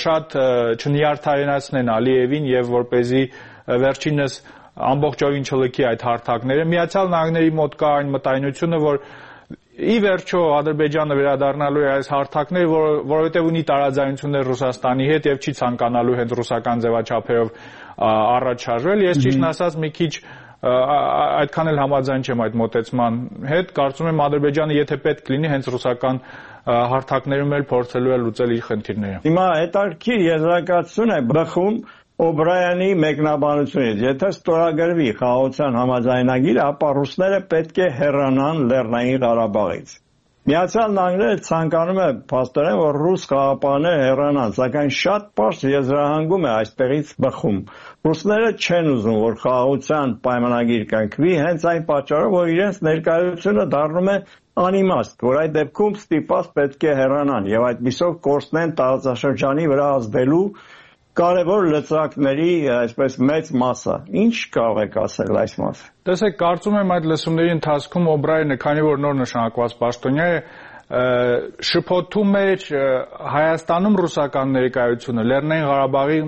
շատ չնյարդայնացնեն Ալիևին եւ որպեսզի վերջինս ամբողջովին չլքի այդ հարթակները։ Միացյալ Նահանգների մոտ կա այն մտայնությունը, որ ի վերջո Ադրբեջանը վերադառնալու է այս հարթակները, որ, որովհետև ունի տարաձայնություններ Ռուսաստանի հետ եւ չի ցանկանալու հենց ռուսական ձևաչափերով առաջ շարժվել։ Ես ճիշտն ասած մի քիչ այդքան էլ համաձայն չեմ այդ մոտեցման հետ։ Կարծում եմ Ադրբեջանը եթե պետք լինի հենց ռուսական հարթակներում էլ փորձելու է լուծել իր խնդիրները։ Հիմա հետարքի եզրակացություն է բխում Օբրայանի մեկնաբանությունից, եթե ստորագրվի խաղաղության համաձայնագիրը, ապա ռուսները պետք է հեռանան Լեռնային Ղարաբաղից։ Միացյալ Նահանգները ցանկանում է փաստորեն, որ ռուս խաղաղապահները հեռանան, սակայն շատ պարզ եզրահանգում է այստեղից բխում։ Ռուսները չեն ուզում, որ խաղաղության պայմանագիր կնքվի, հենց այն պատճառով, որ իրենց ներկայությունը դառնում է անիմաստ, որ այդ դեպքում ստիպված պետք է հեռանան եւ այդպիսով կորցնեն տարածաշրջանի վրա ազդելու կարևոր լծակների այսպես մեծ մասը։ Ինչ կարող եք ասել այս մասը։ Տեսեք, կարծում եմ այդ լսումների ընթացքում Օբրայանը, քանի որ նոր նշանակված պաշտոնյա է, շփոթում էր Հայաստանում ռուսական ներկայությունը, Լեռնային Ղարաբաղի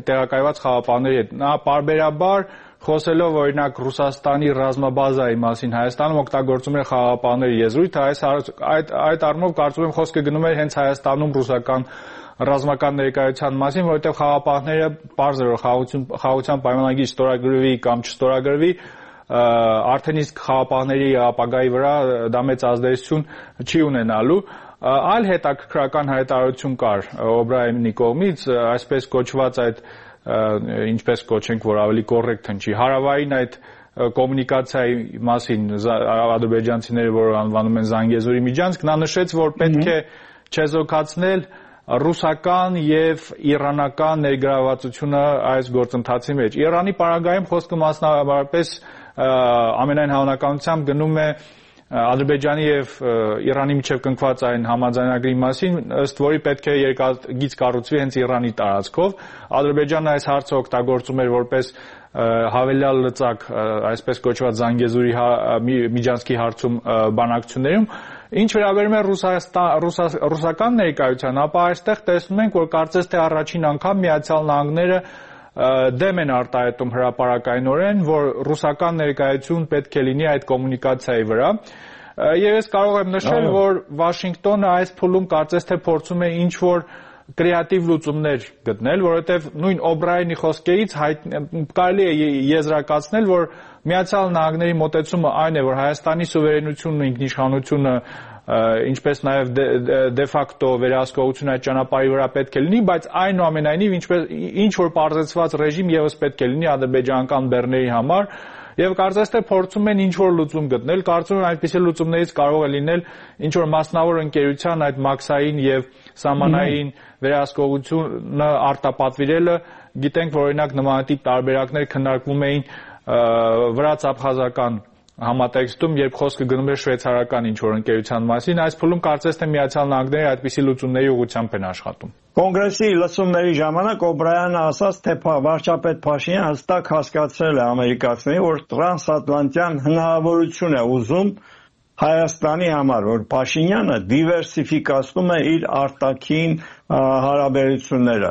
տեղակայված խաղաղապահների հետ։ Նա պարբերաբար խոսելով օրինակ Ռուսաստանի ռազմաբազայի մասին Հայաստանում օգտագործում էր խաղաղապահների եզրույթը, այս այդ առումով կարծում եմ խոսքը գնում էր հենց Հայաստանում ռուսական ռազմական ներկայության մասին, որովհետև խաղաղապահները պարզ էր, որ խաղաղության պայմանագիր ստորագրվի կամ չստորագրվի, արդեն իսկ խաղաղապահների ապագայի վրա դա մեծ ազդեցություն չի ունենալու։ Այլ հետաքրքրական հայտարարություն կար Օբրայանի կողմից, այսպես կոչված այդ ինչպես կոչենք, որ ավելի կոռեկտ հնչի, հարավային այդ կոմունիկացիայի մասին ադրբեջանցիները, որ անվանում են Զանգեզուրի միջանցք, նա նշեց, որ պետք է չեզոքացնել ռուսական եւ իրանական ներգրավվածությունը այս գործընթացի մեջ։ Իրանի պարագայում խոսքը մասնավորապես ամենայն հավանականությամբ գնում է Ադրբեջանի եւ Իրանի միջև կնքված այն համաձայնագրի մասին, ըստ որի պետք է երկաթգիծ կառուցվի հենց Իրանի տարածքով։ Ադրբեջանը այս հարցը օգտագործում էր որպես հավելյալ լծակ, այսպես կոչված Զանգեզուրի միջանցքի հարցում բանակցություններում։ Ինչ վերաբերում է ռուսական ներկայության, ապա այստեղ տեսնում ենք, որ կարծես թե առաջին անգամ Միացյալ Նահանգները դեմ են արտահայտում հրապարակայնորեն, որ ռուսական ներկայություն պետք է լինի այդ կոմունիկացիայի վրա։ Եվ ես կարող եմ նշել, որ Վաշինգտոնը այս փուլում կարծես թե փորձում է ինչ-որ կրեատիվ լուծումներ գտնել, որովհետև նույն Օբրայանի խոսքերից կարելի է եզրակացնել, որ Միացյալ Նահանգների մոտեցումը այն է, որ Հայաստանի սուվերենությունն ու ինքնիշխանությունը, ինչպես նաև դե ֆակտո վերահսկողությունը այդ ճանապարհի վրա պետք է լինի, բայց այնուամենայնիվ ինչ որ պարզեցված ռեժիմ եւս պետք է լինի ադրբեջանական բեռների համար, եւ կարծես թե փորձում են ինչ որ լուծում գտնել, կարծում եմ այնպիսի լուծումներից կարող է լինել ինչ որ մասնավոր ընկերության այդ մաքսային եւ սահմանային վերահսկողությունը արտապատվիրելը։ Գիտենք, որ օրինակ նմանատիպ տարբերակներ քննարկվում էին վրաց-աբխազական համատեքստում, երբ խոսքը գնում էր շվեյցարական ինչ-որ ընկերության մասին, այս փուլում կարծես թե Միացյալ Նահանգները այդպիսի լուծումների ուղղությամբ են աշխատում։ Կոնգրեսի լսումների ժամանակ Օբրայանը ասաց, թե վարչապետ Փաշինյանը հստակ հասկացրել է ամերիկացիներին, որ տրանսատլանտյան հնարավորություն է ուզում Հայաստանի համար, որ Փաշինյանը դիվերսիֆիկացնում է իր արտաքին հարաբերությունները։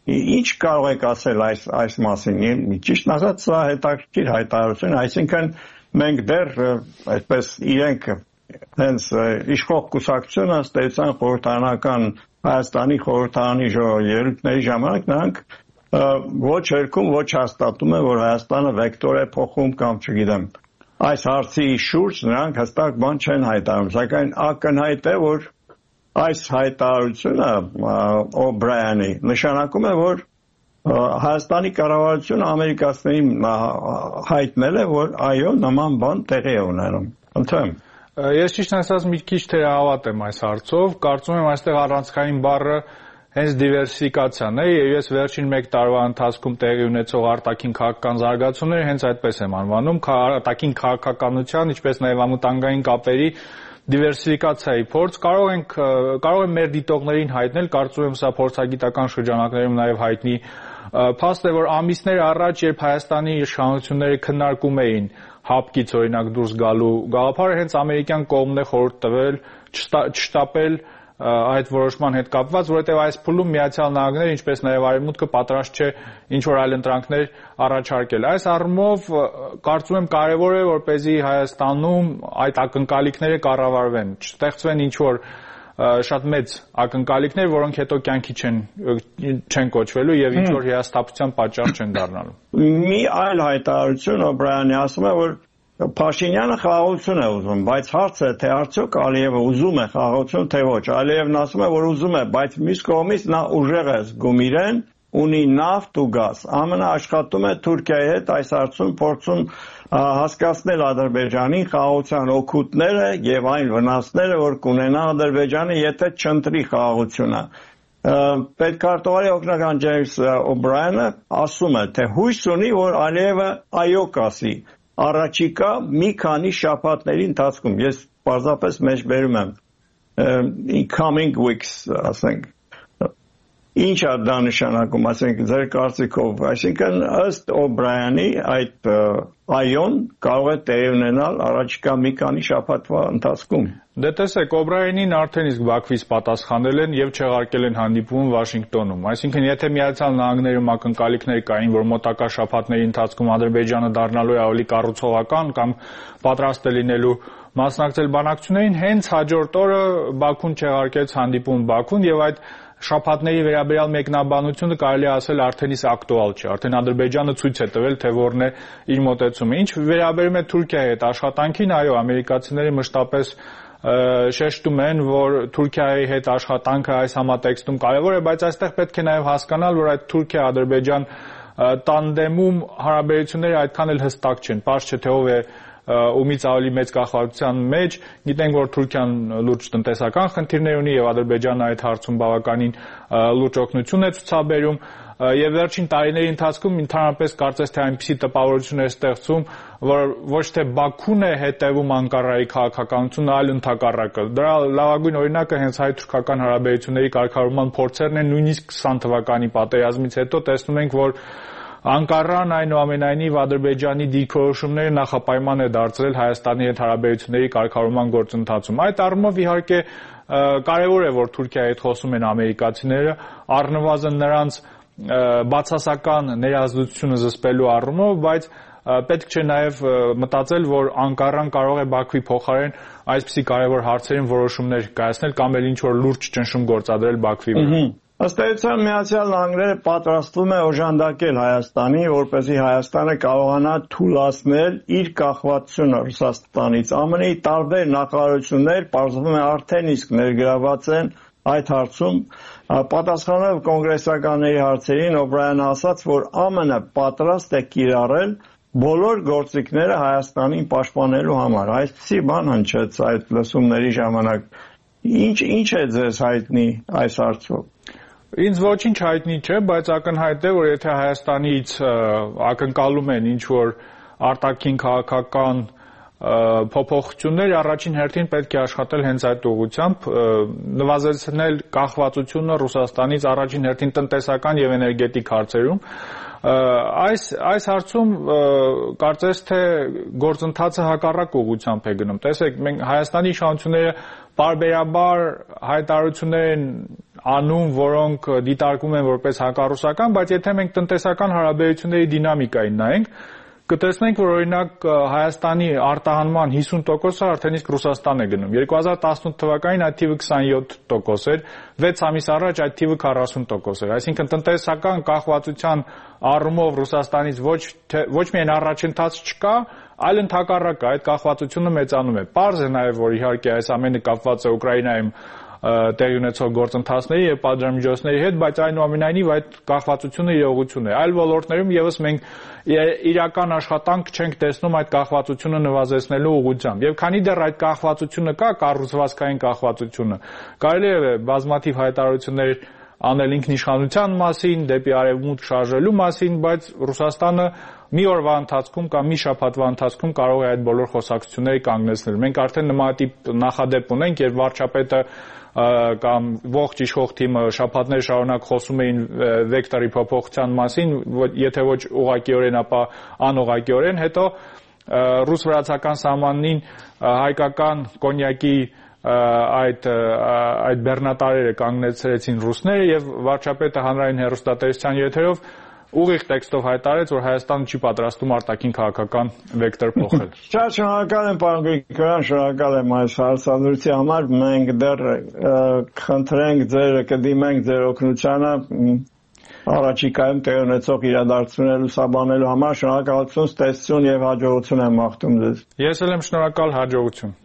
Ինչ կարող եք ասել այս այս մասին։ Ճիշտ ասած, սա հետաքրքիր հայտարարություն, այսինքն մենք դեռ այսպես իրենք հենց իշխող կուսակցությունը ստեցան խորհրդարանական Հայաստանի խորհրդարանի ելույթների ժամանակ նրանք ոչ երկում ոչ հաստատում են, որ Հայաստանը վեկտոր է փոխում կամ չգիտեմ այս հարցի շուրջ նրանք հստակ բան չեն հայտարարում, սակայն ակնհայտ է, որ այս հայտարարությունը Օբրայանի նշանակում է, որ Հայաստանի կառավարությունը ամերիկացիներին հայտնել է, որ այո, նման բան տեղի է ունենում։ Ընդհանրապես Ես ճիշտ ասած մի քիչ թերահավատ եմ այս հարցով, կարծում եմ այստեղ առանցքային բառը հենց դիվերսիֆիկացիան է, եւ ես վերջին մեկ տարվա ընթացքում տեղի ունեցող արտաքին քաղաքական զարգացումները հենց այդպես եմ անվանում, արտաքին քաղաքականության, ինչպես նաեւ անվտանգային կապերի դիվերսիֆիկացիայի փորձ։ Կարող ենք կարող եմ մեր դիտողներին հայտնել, կարծում եմ սա փորձագիտական շրջանակներում նաեւ հայտնի փաստ է, որ ամիսներ առաջ, երբ Հայաստանի իշխանությունները քննարկում էին հապկից օրինակ դուրս գալու գաղափարը, հենց ամերիկյան կողմն է խորհուրդ տվել չշտապել այդ որոշման հետ կապված, որովհետև այս փուլում Միացյալ Նահանգները, ինչպես նաև Արևմուտքը պատրաստ չէ ինչ-որ այլ ընտրանքներ առաջարկել։ Այս առումով կարծում եմ կարևոր է, որպեսզի Հայաստանում այդ ակնկալիքները կառավարվեն, չստեղծվեն ինչ-որ շատ մեծ ակնկալիքներ, որոնք հետո կյանքի չեն չեն կոչվելու եւ ինչ-որ հիասթափության պատճառ չեն դառնալու։ Մի այլ հայտարարություն Օբրայանի ասում է, որ Փաշինյանը խաղաղություն է ուզում, բայց հարցը է, թե արդյոք Ալիևը ուզում է խաղաղություն, թե ոչ։ Ալիևն ասում է, որ ուզում է, բայց մյուս կողմից նա ուժեղ է զգում իրեն, ունի նավթ ու գազ։ ԱՄՆ-ը աշխատում է Թուրքիայի հետ այս հարցում, փորձում հասկացնել Ադրբեջանին խաղաղության օգուտները եւ այն վնասները, որ կունենա Ադրբեջանը, եթե չընտրի խաղաղությունը։ Պետքարտուղարի օգնական Ջեյմս Օբրայանը ասում է, թե հույս ունի, որ Ալիևը այո կասի առաջիկա մի քանի շաբաթների ընթացքում, ես պարզապես մեջբերում եմ in coming weeks, ասենք, ինչ է դա նշանակում, ասենք, ձեր կարծիքով, այսինքն ըստ Օբրայանի այդ այոն կարող է տեղի ունենալ առաջիկա մի քանի շաբաթվա ընթացքում։ Դե տեսեք, Օբրայանին արդեն իսկ Բաքվից պատասխանել են եւ չեղարկել են հանդիպում Վաշինգտոնում։ Այսինքն, եթե Միացյալ Նահանգներում ակնկալիքներ կային, որ մոտակա շաբաթների ընթացքում Ադրբեջանը դառնալու է ավելի կառուցողական կամ պատրաստ է լինելու մասնակցել բանակցություններին, հենց հաջորդ օրը Բաքուն չեղարկեց հանդիպում Բաքուն եւ այդ շաբաթների վերաբերյալ մեկնաբանությունը կարելի է ասել արդեն իսկ ակտուալ չէ, արդեն Ադրբեջանը ցույց է տվել, թե որն է իր մոտեցումը։ Ինչ վերաբերում է Թուրքիայի հետ աշխատանքին, այո, ամերիկացիները մշտապես շեշտում են, որ Թուրքիայի հետ աշխատանքը այս համատեքստում կարևոր է, բայց այստեղ պետք է նաև հասկանալ, որ այդ Թուրքիա-Ադրբեջան տանդեմում հարաբերությունները այդքան էլ հստակ չեն։ Պարզ չէ, թե ով է ումից ավելի մեծ կախվածության մեջ, գիտենք, որ Թուրքիան լուրջ տնտեսական խնդիրներ ունի եւ Ադրբեջանը այդ հարցում բավականին լուրջ օգնություն է ցուցաբերում եւ վերջին տարիների ընթացքում ընդհանրապես կարծես թե այնպիսի տպավորություն է ստեղծում, որ ոչ թե Բաքուն է հետևում Անկարայի քաղաքականությունը, այլ ընդհակառակը։ Դրա լավագույն օրինակը հենց հայ-թուրքական հարաբերությունների կարգավորման փորձերն են, նույնիսկ քսան թվականի պատերազմից հետո տեսնում ենք, որ Անկարան այնուամենայնիվ Ադրբեջանի դիրքորոշումները նախապայման է դարձրել Հայաստանի հետ հարաբերությունների կարգավորման գործընթացում։ Այդ առումով իհարկե կարևոր է, որ Թուրքիայի հետ խոսում են ամերիկացիները, առնվազն նրանց բացասական ներազդեցությունը զսպելու առումով, բայց պետք չէ նաև մտածել, որ Անկարան կարող է Բաքվի փոխարեն այսպիսի կարևոր հարցերին որոշումներ կայացնել կամ էլ ինչ-որ լուրջ ճնշում գործադրել Բաքվի վրա։ Ըստ էության Միացյալ Նահանգները պատրաստվում է օժանդակել Հայաստանի, որպեսզի Հայաստանը կարողանա թուլացնել իր կախվածությունը Ռուսաստանից։ ԱՄՆ-ի տարբեր նախարարություններ պարզվում է արդեն իսկ ներգրաված են այդ հարցում։ Պատասխանելով կոնգրեսականների հարցերին, Օբրայանը ասաց, որ ԱՄՆ պատրաստ է կիրառել բոլոր գործիքները Հայաստանին պաշտպանելու համար։ Այսպիսի բան հնչեց այդ լսումների ժամանակ։ Ինչ ինչ է ձեզ հայտնի այս հարցով։ Ինձ ոչինչ հայտնի չէ, բայց ակնհայտ է, որ եթե Հայաստանից ակնկալում են ինչ-որ արտաքին քաղաքական փոփոխություններ, առաջին հերթին պետք է աշխատել հենց այդ ուղղությամբ, նվազեցնել կախվածությունը Ռուսաստանից առաջին հերթին տնտեսական եւ էներգետիկ հարցերում։ Այս այս հարցում կարծես թե գործընթացը հակառակ ուղղությամբ է գնում։ Տեսեք, մենք Հայաստանի իշխանությունները բարբերաբար հայտարարություններ են անում, որոնք դիտարկվում են որպես հակառուսական, բայց եթե մենք տնտեսական հարաբերությունների դինամիկային նայենք, կտեսնենք, որ օրինակ Հայաստանի արտահանման հիսուն տոկոսը արդեն իսկ Ռուսաստան է գնում։ երկու հազար տասնութ թվականին այդ թիվը քսանյոթ տոկոս էր, վեց ամիս առաջ այդ թիվը քառասուն տոկոս էր։ Այսինքն տնտեսական կախվածության առումով Ռուսաստանից ոչ ոչ միայն առաջընթաց չկա, այլ ընդհակառակը այդ կախվածությունը մեծանում է։ Պարզ է նաև, որ իհարկե այս ամենը կապված է Ուկրաինայում տեղի ունեցող գործընթացների եւ պատժամիջոցների հետ, բայց այնուամենայնիվ այդ կախվածությունը իրողություն է։ Այլ ոլորտներում եւս մենք իրական աշխատանք չենք տեսնում այդ կախվածությունը նվազեցնելու ուղղությամբ։ Եվ քանի դեռ այդ կախվածությունը կա, կառուցվածքային կախվածությունը, կարելի է բազմաթիվ հայտարարություններ անել ինքնիշխանության մասին, դեպի արևմուտք շարժելու մասին, բայց Ռուսաստանը մի օրվա ընթացքում կամ մի շաբաթվա ընթացքում կարող է այդ բոլոր խոսակցությունները կանգնեցնել։ Մենք արդեն նմանատիպ նախադեպ ունենք, երբ վարչապետը կամ ողջ իշխող թիմը շաբաթներ շարունակ խոսում էին վեկտորի փոփոխության մասին, եթե ոչ ուղղակիորեն, ապա անուղղակիորեն, հետո ռուս-վրացական սահմանին հայկական կոնյակի այդ այդ բեռնատարերը կանգնեցրեցին ռուսները եւ վարչապետը հանրային հեռուստատեսության եթերով ուղիղ տեքստով հայտարարեց, որ Հայաստանը չի պատրաստում արտաքին քաղաքական վեկտոր փոխել։ Շատ շնորհակալ եմ, պարոն Գրիգորյան, շնորհակալ եմ այս հարցադրության համար։ Մենք դեռ խնդրենք ձեր, կդիմենք ձեր օգնությանը առաջիկայում տեղի ունեցող իրադարձությունները լուսաբանելու համար։ Շնորհակալություն, ստեսություն եւ հաջողություն եմ մաղթում ձեզ։ Ես էլ եմ շնորհակալ, հաջողություն։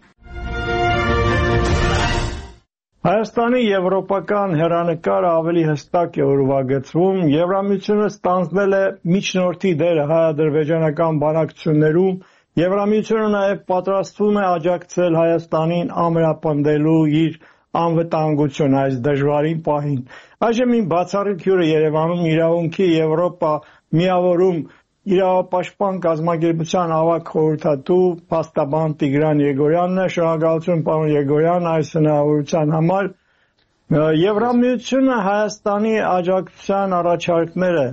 Հայաստանի եվրոպական հեռանկարը ավելի հստակ է ուրվագծվում։ Եվրամիությունը ստանձնել է միջնորդի դերը հայ-ադրբեջանական բանակցություններում։ Եվրամիությունը նաև պատրաստվում է աջակցել Հայաստանին ամրապնդելու իր անվտանգություն այս դժվարին պահին։ Այժմ մի բացառիկ հյուր է Երևանում իրավունքի Եվրոպա միավորում իրավապաշտպան կազմակերպության ավագ խորհրդատու փաստաբան Տիգրան Եգորյանն է։ Շնորհակալություն, պարոն Եգորյան, այս հնարավորության համար։ Եվրամիությունը Հայաստանի աջակցության առաջարկները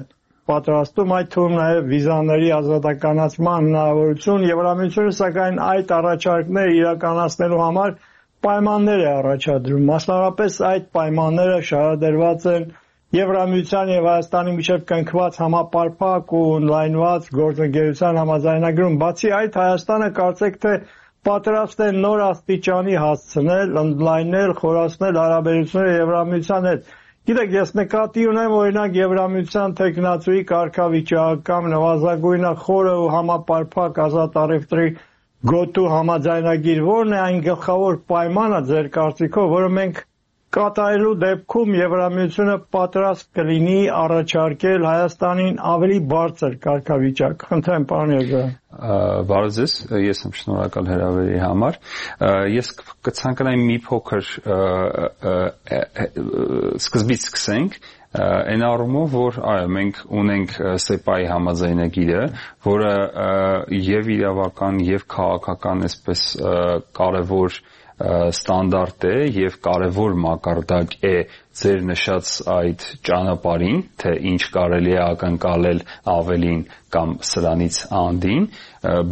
պատրաստում, այդ թվում նաև վիզաների ազատականացման հնարավորություն։ Եվրամիությունը սակայն այդ առաջարկները իրականացնելու համար պայմաններ է առաջադրում։ Մասնավորապես այդ պայմանները շարադրված են Եվրամիության եւ Հայաստանի միջև կնքված համապարփակ ու օնլայնված գործընկերության համաձայնագրում։ Բացի այդ, Հայաստանը կարծեք թե պատրաստ է նոր աստիճանի հասցնել, ընդլայնել, խորացնել հարաբերությունները Եվրամիության հետ։ Գիտեք, ես նկատի ունեմ օրինակ Եվրամիության տեխնացուի կարգավիճակ կամ նվազագույնը խորը ու համապարփակ ազատ առևտրի գոտու համաձայնագիր, որն է այն գլխավոր պայմանը ձեր կարծիքով, որը մենք կատարելու դեպքում Եվրամիությունը պատրաստ կլինի առաջարկել Հայաստանին ավելի բարձր կարգավիճակ։ Խնդրեմ, պարոն Եգորյան։ Բարև ձեզ, ես եմ շնորհակալ հրավերի համար։ Ես կցանկանայի մի փոքր սկզբից սկսենք, այն առումով, որ այո, մենք ունենք սեպայի համաձայնագիրը, որը եւ իրավական եւ քաղաքական այսպես կարևոր ստանդարտ է եւ կարևոր մակարդակ է ձեր նշած այդ ճանապարհին, թե ինչ կարելի է ակնկալել ավելին կամ սրանից անդին,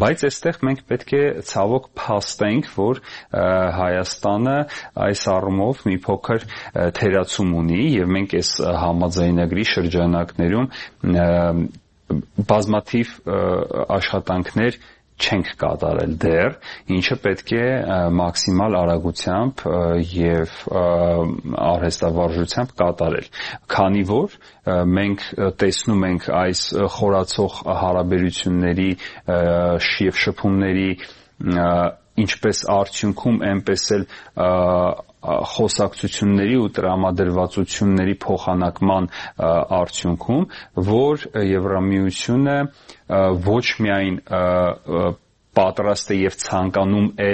բայց այստեղ մենք պետք է ցավոք փաստենք, որ Հայաստանը այս առումով մի փոքր թերացում ունի եւ մենք այս համաձայնագրի շրջանակներում բազմաթիվ աշխատանքներ չենք կատարել դեռ, ինչը պետք է մաքսիմալ արագությամբ եւ արհեստավարժությամբ կատարել։ Քանի որ մենք տեսնում ենք այս խորացող հարաբերությունների եւ շփումների ինչպես արդյունքում, այնպես էլ խոսակցությունների ու տրամադրվածությունների փոխանակման արդյունքում, որ Եվրամիությունը ոչ միայն պատրաստ է եւ ցանկանում է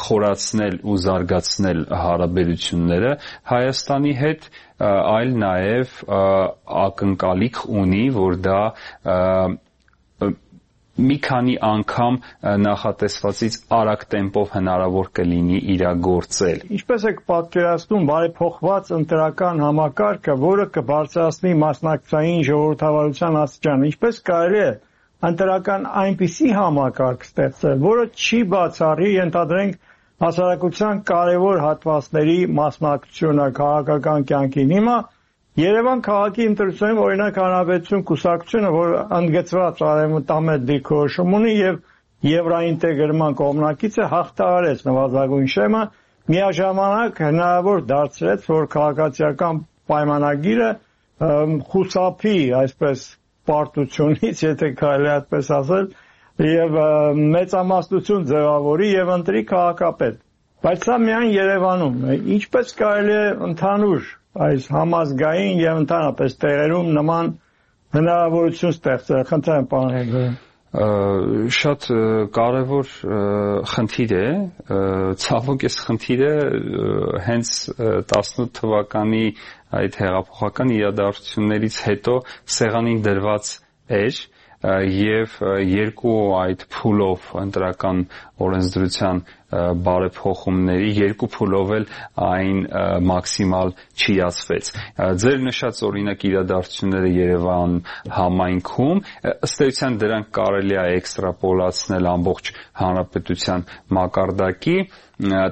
խորացնել ու զարգացնել հարաբերությունները Հայաստանի հետ, այլ նաեւ ակնկալիք ունի, որ դա մի քանի անգամ նախատեսվածից արագ տեմպով հնարավոր կլինի իրագործել։ Ինչպես եք պատկերացնում բարեփոխված ընտրական համակարգը, որը կբարձրացնի մասնակցային ժողովրդավարության աստիճանը, ինչպես կարելի է ընտրական այնպիսի համակարգ ստեղծել, որը չի բացառի, ենթադրենք, հասարակության կարևոր հատվածների մասնակցությունը քաղաքական կյանքին։ Հիմա Երևան քաղաքի ընտրությունում օրինակ Հանրապետություն կուսակցությունը, որ ընդգծված արևմտամետ դիրքորոշում ունի եւ եվրոինտեգրման կողմնակիցը, հաղթահարեց նվազագույն շեմը, միաժամանակ հնարավոր դարձրեց, որ քաղաքացիական պայմանագիրը խուսափի այսպես պարտությունից, եթե կարելի այդպես ասել, եւ մեծամասնություն ձևավորի եւ ընտրի քաղաքապետ։ Բայց սա միայն Երևանում է։ Ինչպես կարելի է ընդհանուր այս համազգային եւ ընդհանրապես տեղերում նման հնարավորություն ստեղծել։ Խնդրեմ, պարոն Եգորյան։ Շատ կարևոր խնդիր է, ցավոք այս խնդիրը հենց տասնութ թվականի այդ հեղափոխական իրադարձություններից հետո սեղանին դրված էր եւ երկու այդ փուլով ընտրական օրենսդրության բարեփոխումների երկու փուլով էլ այն մաքսիմալ չիացվեց։ Ձեր նշած օրինակ իրադարձությունները Երևան համայնքում ըստ էության դրանք կարելի է էքստրապոլացնել ամբողջ հանրապետության մակարդակի,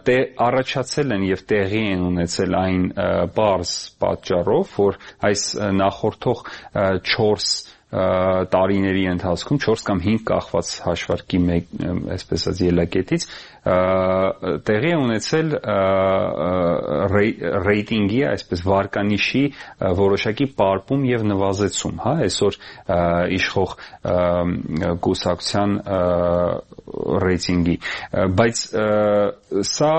դե առաջացել են եւ տեղի են ունեցել այն բարձ պատճառով, որ այս նախորդող չորս տարիների ընթացքում չորս կամ հինգ կախված հաշվարկի մեկ, այսպես ասած ելակետից տեղի է ունեցել ռեյտինգի, այսպես վարկանիշի որոշակի պարպում եւ նվազեցում, հա, այսօր իշխող կուսակցության ռեյտինգի, բայց սա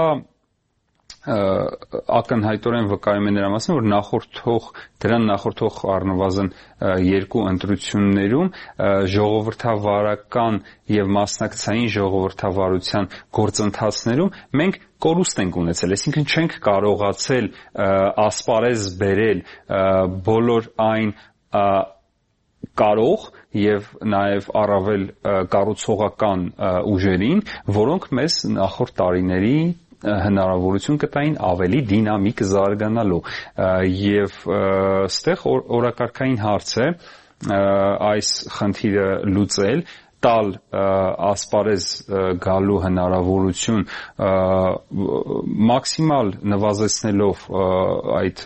ակնհայտորեն վկայում է նրա մասին, որ նախորդող դրան նախորդող առնվազն երկու ընտրություններում ժողովրդավարական եւ մասնակցային ժողովրդավարության գործընթացներում մենք կորուստ ենք ունեցել, այսինքն չենք կարողացել ասպարեզ բերել բոլոր այն կարող եւ նաեւ առավել կառուցողական ուժերին, որոնք մեզ նախորդ տարիների հնարավորություն կտային ավելի դինամիկ զարգանալու եւ ստեղ օրակարգային հարց է այս խնդիրը լուծել, տալ ասպարեզ գալու հնարավորություն մաքսիմալ նվազեցնելով այդ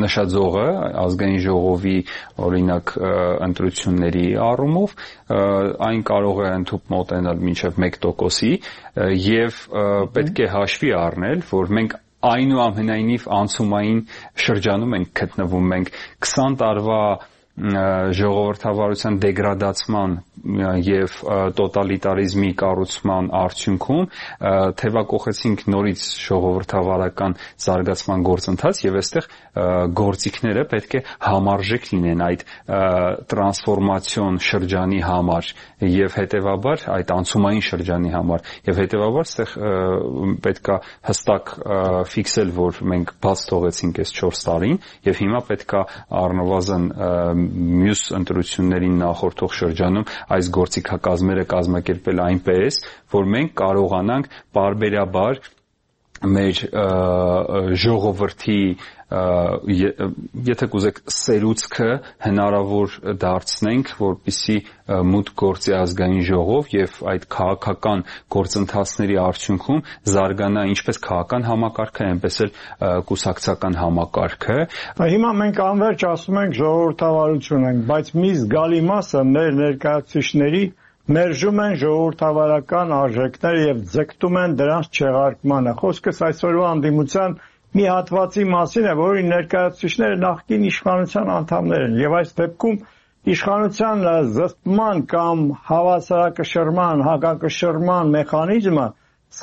նշաձողը ազգային ժողովի օրինակ ընտրությունների առումով այն կարող է ընդհանուր մոտենալ մինչև մեկ տոկոսի եւ պետք է հաշվի առնել, որ մենք այնուամենայնիվ անցումային շրջանում ենք գտնվում, մենք քսան տարվա ժողովրդավարության դեգրադացման եւ տոտալիտարիզմի կառուցման արդյունքում թևակողեցինք նորից ժողովրդավարական զարգացման գործընթաց եւ այստեղ գործիքները պետք է համարժեք լինեն այդ տրանսֆորմացիոն շրջանի համար եւ հետեւաբար այդ անցումային շրջանի համար եւ հետեւաբար այստեղ պետքա հստակ ֆիքսել, որ մենք բաց թողեցինք այս չորս տարին եւ հիմա պետքա առնվազն մյուս ընտրություններին նախորդող շրջանում այս գործիքակազմերը կազմակերպել այնպես, որ մենք կարողանանք պարբերաբար մեր ժողովրդի եթե կուզեք սերուցքը հնարավոր դարձնենք, որպեսզի մուտք գործի ազգային ժողով եւ այդ քաղաքական գործընթացների արդյունքում զարգանա ինչպես քաղաքական համակարգը, այնպես էլ կուսակցական համակարգը։ Հիմա մենք անverջ ասում ենք ժողովրդավարություն ենք, բայց մի զգալի մասը մեր ներկայացուցիչների մերժում են ժողովրդավարական արժեքները եւ ձգտում են դրանց չեղարկմանը։ Խոսքս այսօրվա անդիմության մի հատվածի մասին է, որի ներկայացուցիչները նախկին իշխանության անդամներ են եւ այս դեպքում իշխանության զսպման կամ հավասարակշռման, հակակշռման մեխանիզմը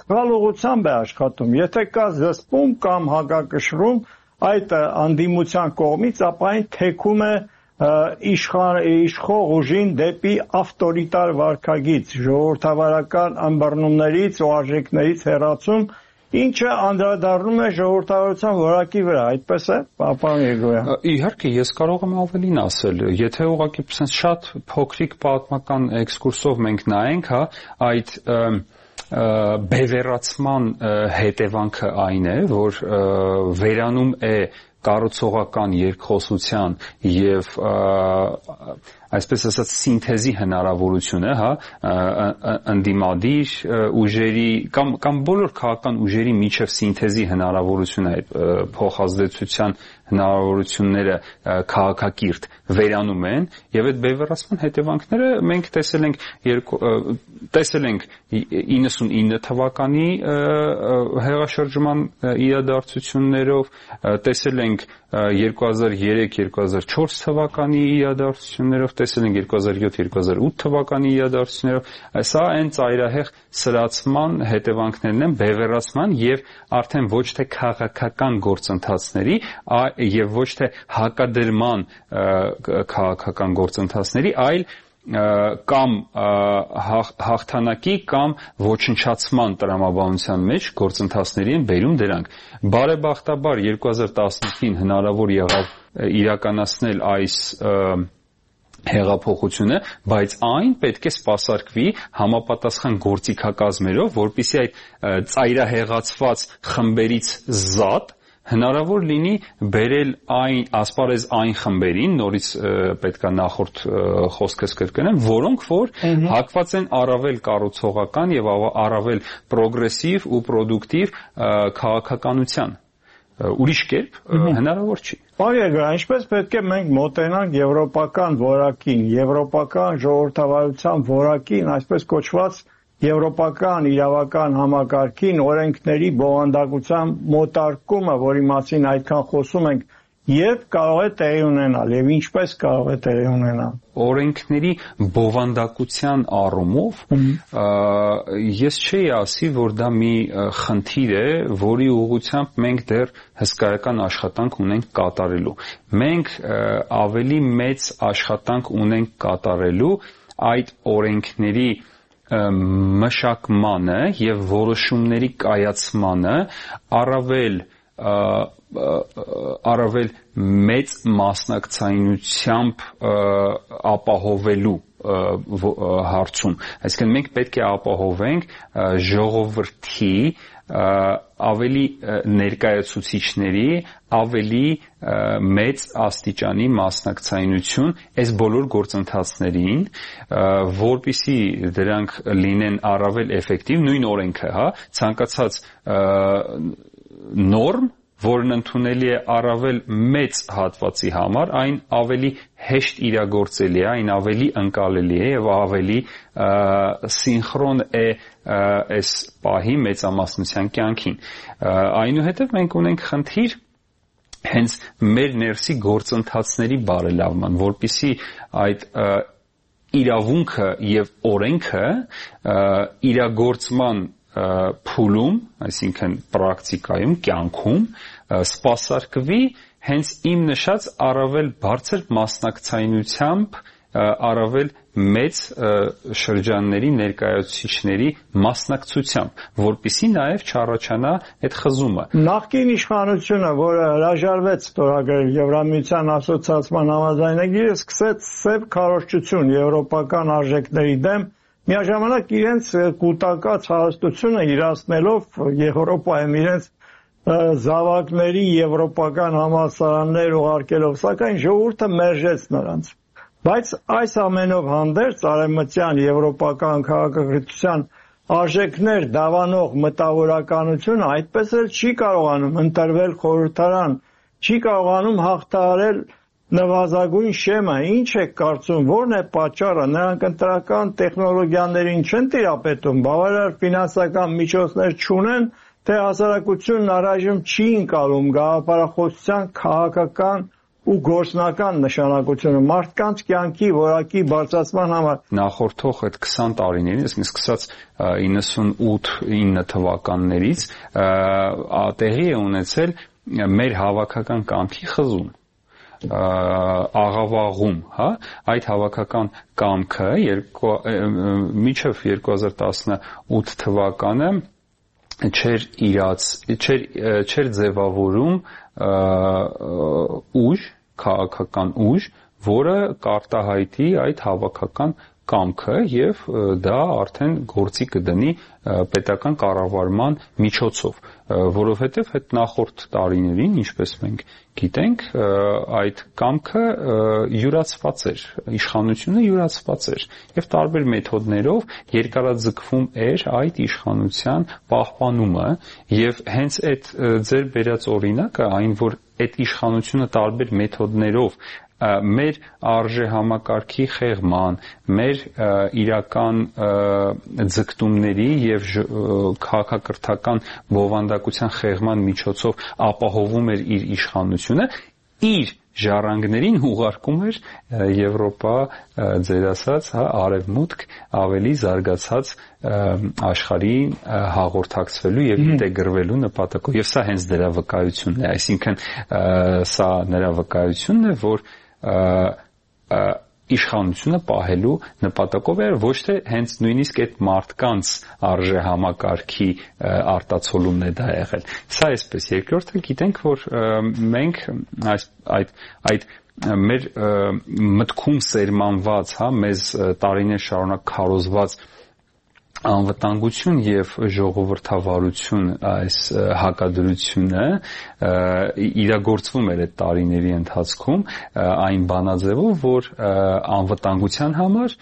սխալ ուղղությամբ է աշխատում։ Եթե կա զսպում կամ հակակշռում այդ անդիմության կողմից, ապա այն թեքում է իշխող ուժին դեպի ավտորիտար վարքագիծ, ժողովրդավարական ըմբռնումներից ու արժեքներից հեռացում, ինչը անդրադառնում է ժողովրդավարության որակի վրա, այդպես է, պարոն Երգոյան։ Իհարկե, ես կարող եմ ավելին ասել, եթե ուղղակի շատ փոքրիկ պատմական էքսկուրսով մենք նայենք, հա, այդ բևեռացման հետևանքը այն է, որ վերանում է կառուցողական երկխոսության եւ այսպես ասած սինթեզի հնարավորությունը, հա, ընդդիմադիր ուժերի կամ կամ բոլոր քաղաքական ուժերի միջև սինթեզի հնարավորությունը այդ փոխազդեցության հնարավորությունները քաղաքակիրթ վերանում են եւ այդ բևեռացման հետևանքները մենք տեսել ենք տեսել ենք իննսունինը թվականի հեղաշրջման իրադարձություններով, տեսել ենք երկու հազար երեք երկու հազար չորս թվականի իրադարձություններով, տեսել ենք երկու հազար յոթ երկու հազար ութ թվականի իրադարձություններով, սա այն ծայրահեղ սրացման հետևանքներն են բևեռացման եւ արդեն ոչ թե քաղաքական գործընթացների եւ ոչ թե հակադրման քաղաքական գործընթացների, այլ կամ հաղթանակի կամ ոչնչացման տրամաբանության մեջ գործընթացների են բերում դրանք։ Բարեբախտաբար երկու հազար տասնութին հնարավոր եղավ իրականացնել այս հեղափոխությունը, բայց այն պետք է սպասարկվի համապատասխան գործիքակազմերով, որպեսզի այդ ծայրահեղացված խմբերից զատ հնարավոր լինի բերել այն ասպարեզ այն խմբերին, նորից պետքա նախորդ խոսքս կրկնեմ, որոնք որ հակված են առավել կառուցողական եւ առավել պրոգրեսիվ ու պրոդուկտիվ քաղաքականության։ Ուրիշ կերպ հնարավոր չի։ Բարեկա, ինչպես պետք է մենք մոտենանք եվրոպական որակին, եվրոպական ժողովրդավարության որակին, այսպես կոչված եվրոպական իրավական համակարգին, օրենքների բովանդակության մոտարկումը, որի մասին այդքան խոսում ենք, երբ կարող է տեղի ունենալ եւ ինչպես կարող է տեղի ունենալ։ Օրենքների բովանդակության առումով ես չէի ասի, որ դա մի խնդիր է, որի ուղղությամբ մենք դեռ հսկայական աշխատանք ունենք կատարելու։ Մենք ավելի մեծ աշխատանք ունենք կատարելու այդ օրենքների մշակմանը եւ որոշումների կայացմանը առավել առավել մեծ մասնակցայնությամբ ապահովելու հարցում։ Այսինքն մենք պետք է ապահովենք ժողովրդի ավելի ներկայացուցիչների ավելի մեծ աստիճանի մասնակցայնություն այս բոլոր գործընթացներին, որպեսզի դրանք լինեն առավել էֆեկտիվ, նույն օրենքը, հա, ցանկացած նորմ, որն ընդունելի է առավել մեծ հատվածի համար, այն ավելի հեշտ իրագործելի է, այն ավելի ընկալելի է եւ ավելի սինխրոն է այս պահի մեծամասնության կյանքին։ Այնուհետև մենք ունենք խնդիր հենց մեր ներսի գործընթացների բարելավման, որպեսզի այդ իրավունքը եւ օրենքը իրագործման փուլում, այսինքն պրակտիկայում, կյանքում սպասարկվի հենց իմ նշած առավել բարձր մասնակցայնությամբ, առավել մեծ շրջանների ներկայացուցիչների մասնակցությամբ, որպեսզի նաև չառաջանա այդ խզումը։ Նախկին իշխանությունը, որը հրաժարվեց ստորագրել Եվրամիության ասոցիացիան համաձայնագիրը, սկսեց սև քարոզչություն եվրոպական արժեքների դեմ, միաժամանակ իրենց կուտակած հարստությունը իրացնելով Եվրոպայում իրենց զավակների եվրոպական համալսարաններ ուղարկելով, սակայն ժողովուրդը մերժեց նրանց։ Բայց այս ամենով հանդերձ արևմտյան եվրոպական քաղաքակրթության արժեքներ դավանող մտավորականությունը այդպես էլ չի կարողանում ընտրվել խորհրդարան, չի կարողանում հաղթահարել նվազագույն շեմը։ Ինչ է կարծում, որն է պատճառը։ Նրանք ընտրական տեխնոլոգիաներին չեն տիրապետում, բավարար ֆինանսական միջոցներ չունեն, թե հասարակությունն առայժմ չի ընկալում գաղափարախոսության քաղաքական ու գործնական նշանակությունը մարդկանց կյանքի որակի բարձրացման համար։ Նախորդող այդ քսան տարիներին, այսինքն սկսած իննսունութ ինը թվականներից տեղի է ունեցել մեր հավաքական կամքի խզում, աղավաղում, հա, այդ հավաքական կամքը մինչև երկու հազար տասնութ թվականը չէր իրաց, չէր չէր ձևավորում ուժ, քաղաքական ուժ, որը կարտահայտի այդ հավաքական կամքը եւ դա արդեն գործի կդնի պետական կառավարման միջոցով, որովհետեւ այդ նախորդ տարիներին, ինչպես մենք գիտենք, այդ կամքը յուրացված էր, իշխանությունը յուրացված էր եւ տարբեր մեթոդներով երկարաձգվում էր այդ իշխանության պահպանումը եւ հենց այդ ձեր բերած օրինակը, այն որ այդ իշխանությունը տարբեր մեթոդներով մեր արժե համակարգի խեղման, մեր իրական ձգտումների եւ քաղաքակրթական բովանդակության խեղման միջոցով ապահովում էր իր իշխանությունը, իր ժառանգներին ուղարկում էր Եվրոպա, ձեր ասած, հա, արևմուտք, ավելի զարգացած աշխարհին հաղորդակցվելու եւ ինտեգրվելու նպատակով։ Եվ սա հենց դրա վկայությունն է, այսինքն սա նրա վկայությունն է, որ իշխանությունը պահելու նպատակով էր, ոչ թե հենց նույնիսկ այդ մարդկանց արժե համակարգի արտացոլումն է դա եղել։ Սա այսպես, երկրորդը գիտենք, որ մենք այս այդ այդ մեր մտքում սերմանված, հա, մեզ տարիներ շարունակ քարոզված անվտանգություն եւ ժողովրդավարություն այս հակադրությունը իրագործվում էր այդ տարիների ընթացքում այն բանաձևով, որ անվտանգության համար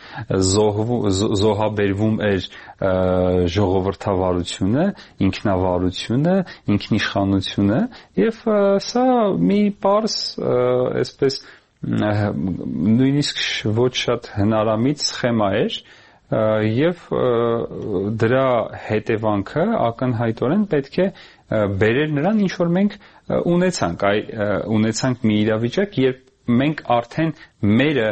զոհաբերվում էր ժողովրդավարությունը, ինքնավարությունը, ինքնիշխանությունը եւ սա մի պարզ այսպես նույնիսկ ոչ շատ հնարամիտ սխեմա էր եւ դրա հետևանքը ակնհայտորեն պետք է բերեր նրան, ինչ որ մենք ունեցանք, այ ունեցանք մի իրավիճակ, երբ մենք արդեն մերը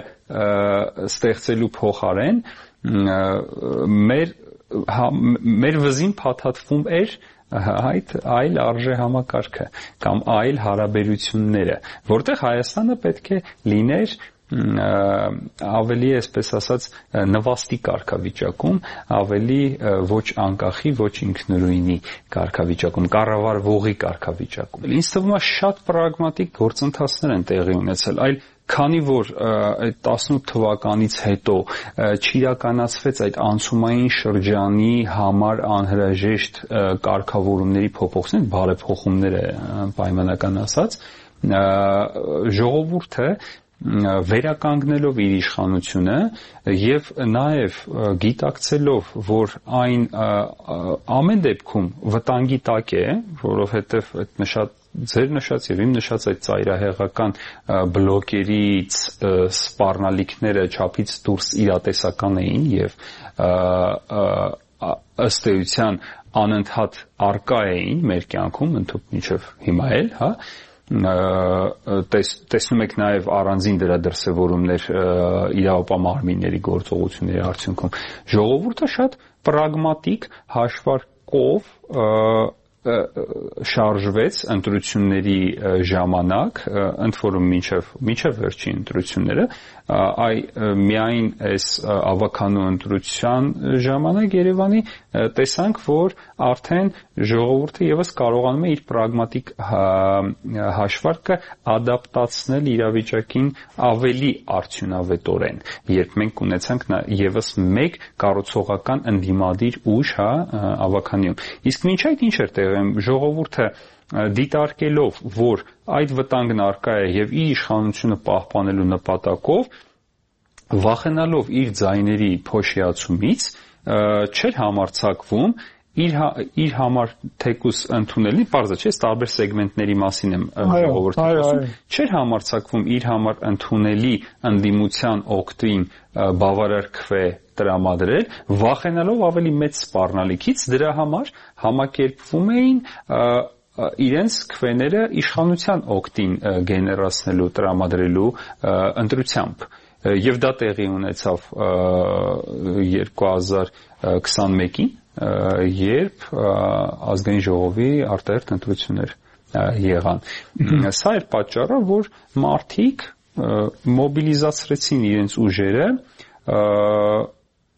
ստեղծելու փոխարեն մեր մեր վզին փաթաթվում էր այդ այլ արժե համակարգը կամ այլ հարաբերությունները, որտեղ Հայաստանը պետք է լիներ ավելի, այսպես ասած, նվաստի կարգավիճակում, ավելի ոչ անկախի, ոչ ինքնուրույնի կարգավիճակում, կառավարվողի կարգավիճակում։ Ինձ թվում է շատ պրագմատիկ գործընթացներ են տեղի ունեցել, այլ քանի որ այդ տասնութ թվականից հետո չիրականացվեց այդ անցումային շրջանի համար անհրաժեշտ կարգավորումների փոփոխություն, բարեփոխումները պայմանական ասած, ժողովուրդը վերականգնելով իր իշխանությունը եւ նաեւ գիտակցելով, որ այն ամեն դեպքում վտանգի տակ է, որովհետեւ այդ նշած ձեր նշած եւ իմ նշած այդ ծայրահեղական բլոկերից սպառնալիքները չափից դուրս իրատեսական էին եւ ըստ էության անընդհատ արկա էին մեր կյանքում ընդհանուր մինչեւ հիմա էլ, հա, տեսնում եք նաև առանձին դրա դրսևորումներ իրավապահ գործողությունների արդյունքում ժողովուրդը շատ պրագմատիկ հաշվարկով շարժվեց ընտրությունների ժամանակ, ընդ որում մինչև մինչև վերջին ընտրությունները, այ միայն այս ավականու ընտրության ժամանակ Երևանի տեսանք, որ արդեն ժողովուրդը եւս կարողանում է իր պրագմատիկ հաշվարկը ադապտացնել իրավիճակին ավելի արդյունավետորեն, երբ մենք ունեցանք եւս մեկ կառուցողական ընդդիմադիր ուժ, հա, ավականիում։ Իսկ մինչ այդ ինչ էր տեղում, ժողովուրդը դիտարկելով, որ այդ վտանգն առկա է եւ իր իշխանությունը պահպանելու նպատակով, վախենալով իր ձայների փոշիացումից, չէր համարձակվում իր իր համար թեկուս ընդունելի, պարզ է, չէ՞, տարբեր սեգմենտների մասին եմ ժողովրդի խոսում, չէր համարձակվում իր համար ընդունելի ընդդիմության օգտին բավարար քվե տրամադրել, վախենալով ավելի մեծ սպառնալիքից, դրա համար համակերպվում էին իրենց քվեները իշխանության օգտին գեներացնելու, տրամադրելու ընտրությամբ։ Եվ դա տեղի ունեցավ երկու հազար քսանմեկին, երբ ազգային ժողովի արտահերթ ընտրություններ եղան։ Սա էր պատճառը, որ մարդիկ մոբիլիզացրեցին իրենց ուժերը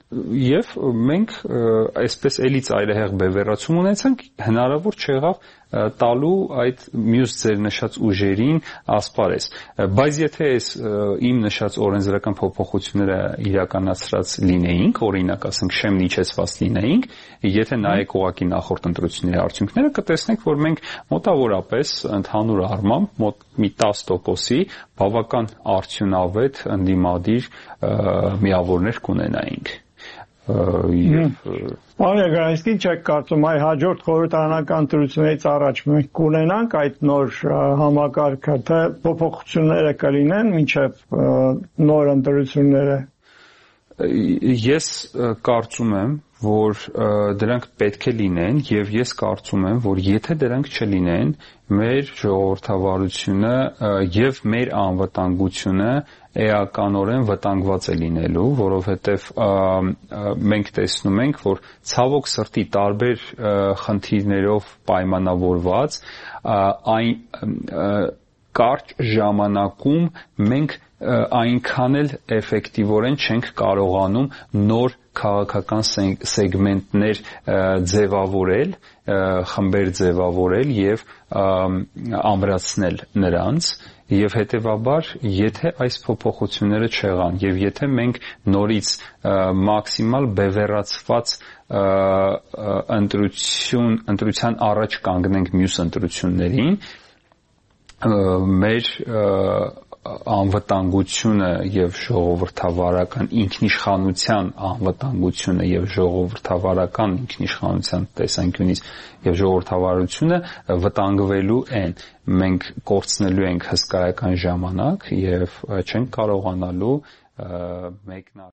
եւ մենք այսպես էլի ծայրահեղ բևեռացում ունեցանք, հնարավոր չեղավ տալու այդ մյուս ձեր նշած ուժերին ասպարեզ, բայց եթե այս իմ նշած օրենսդրական փոփոխությունները իրականացրած լինեինք, օրինակ ասենք շեմն իջեցված լինեինք, եթե նայեք ուղղակի նախորդ ընտրությունների արդյունքները, կտեսնեք, որ մենք մոտավորապես ընդհանուր առմամբ մոտ մի տասը տոկոսի բավական արդյունավետ ընդդիմադիր միավորներ կունենայինք։ Պարոն Գրանիսկի, չեք կարծում, այ հաջորդ խորհրդարանական ընտրություններից առաջ մենք կունենանք այդ նոր համակարգը, թե փոփոխությունները կլինեն մինչև նոր ընտրությունները։ Ես կարծում եմ, որ դրանք պետք է լինեն եւ ես կարծում եմ, որ եթե դրանք չլինեն, մեր ժողովրդավարությունը եւ մեր անվտանգությունը էականորեն վտանգված է լինելու, որովհետեւ մենք տեսնում ենք, որ ցավոք սրտի տարբեր խնդիրներով պայմանավորված այն կարճ ժամանակում մենք այնքան էլ էֆեկտիվորեն չենք կարողանում նոր քաղաքական սեգմենտներ ձևավորել, խմբեր ձևավորել եւ ամրացնել նրանց եւ հետեւաբար եթե այս փոփոխությունները չեղան եւ եթե մենք նորից մաքսիմալ բևեռացված ընտրություն ընտրության առաջ կանգնենք մյուս ընտրություններին մեր անվտանգությունը եւ ժողովրդավարական ինքնիշխանության անվտանգությունը եւ ժողովրդավարական ինքնիշխանության տեսանկյունից եւ ժողովրդավարությունը վտանգվելու են մենք կորցնելու ենք հսկայական ժամանակ եւ չենք կարողանալու մեկնարկել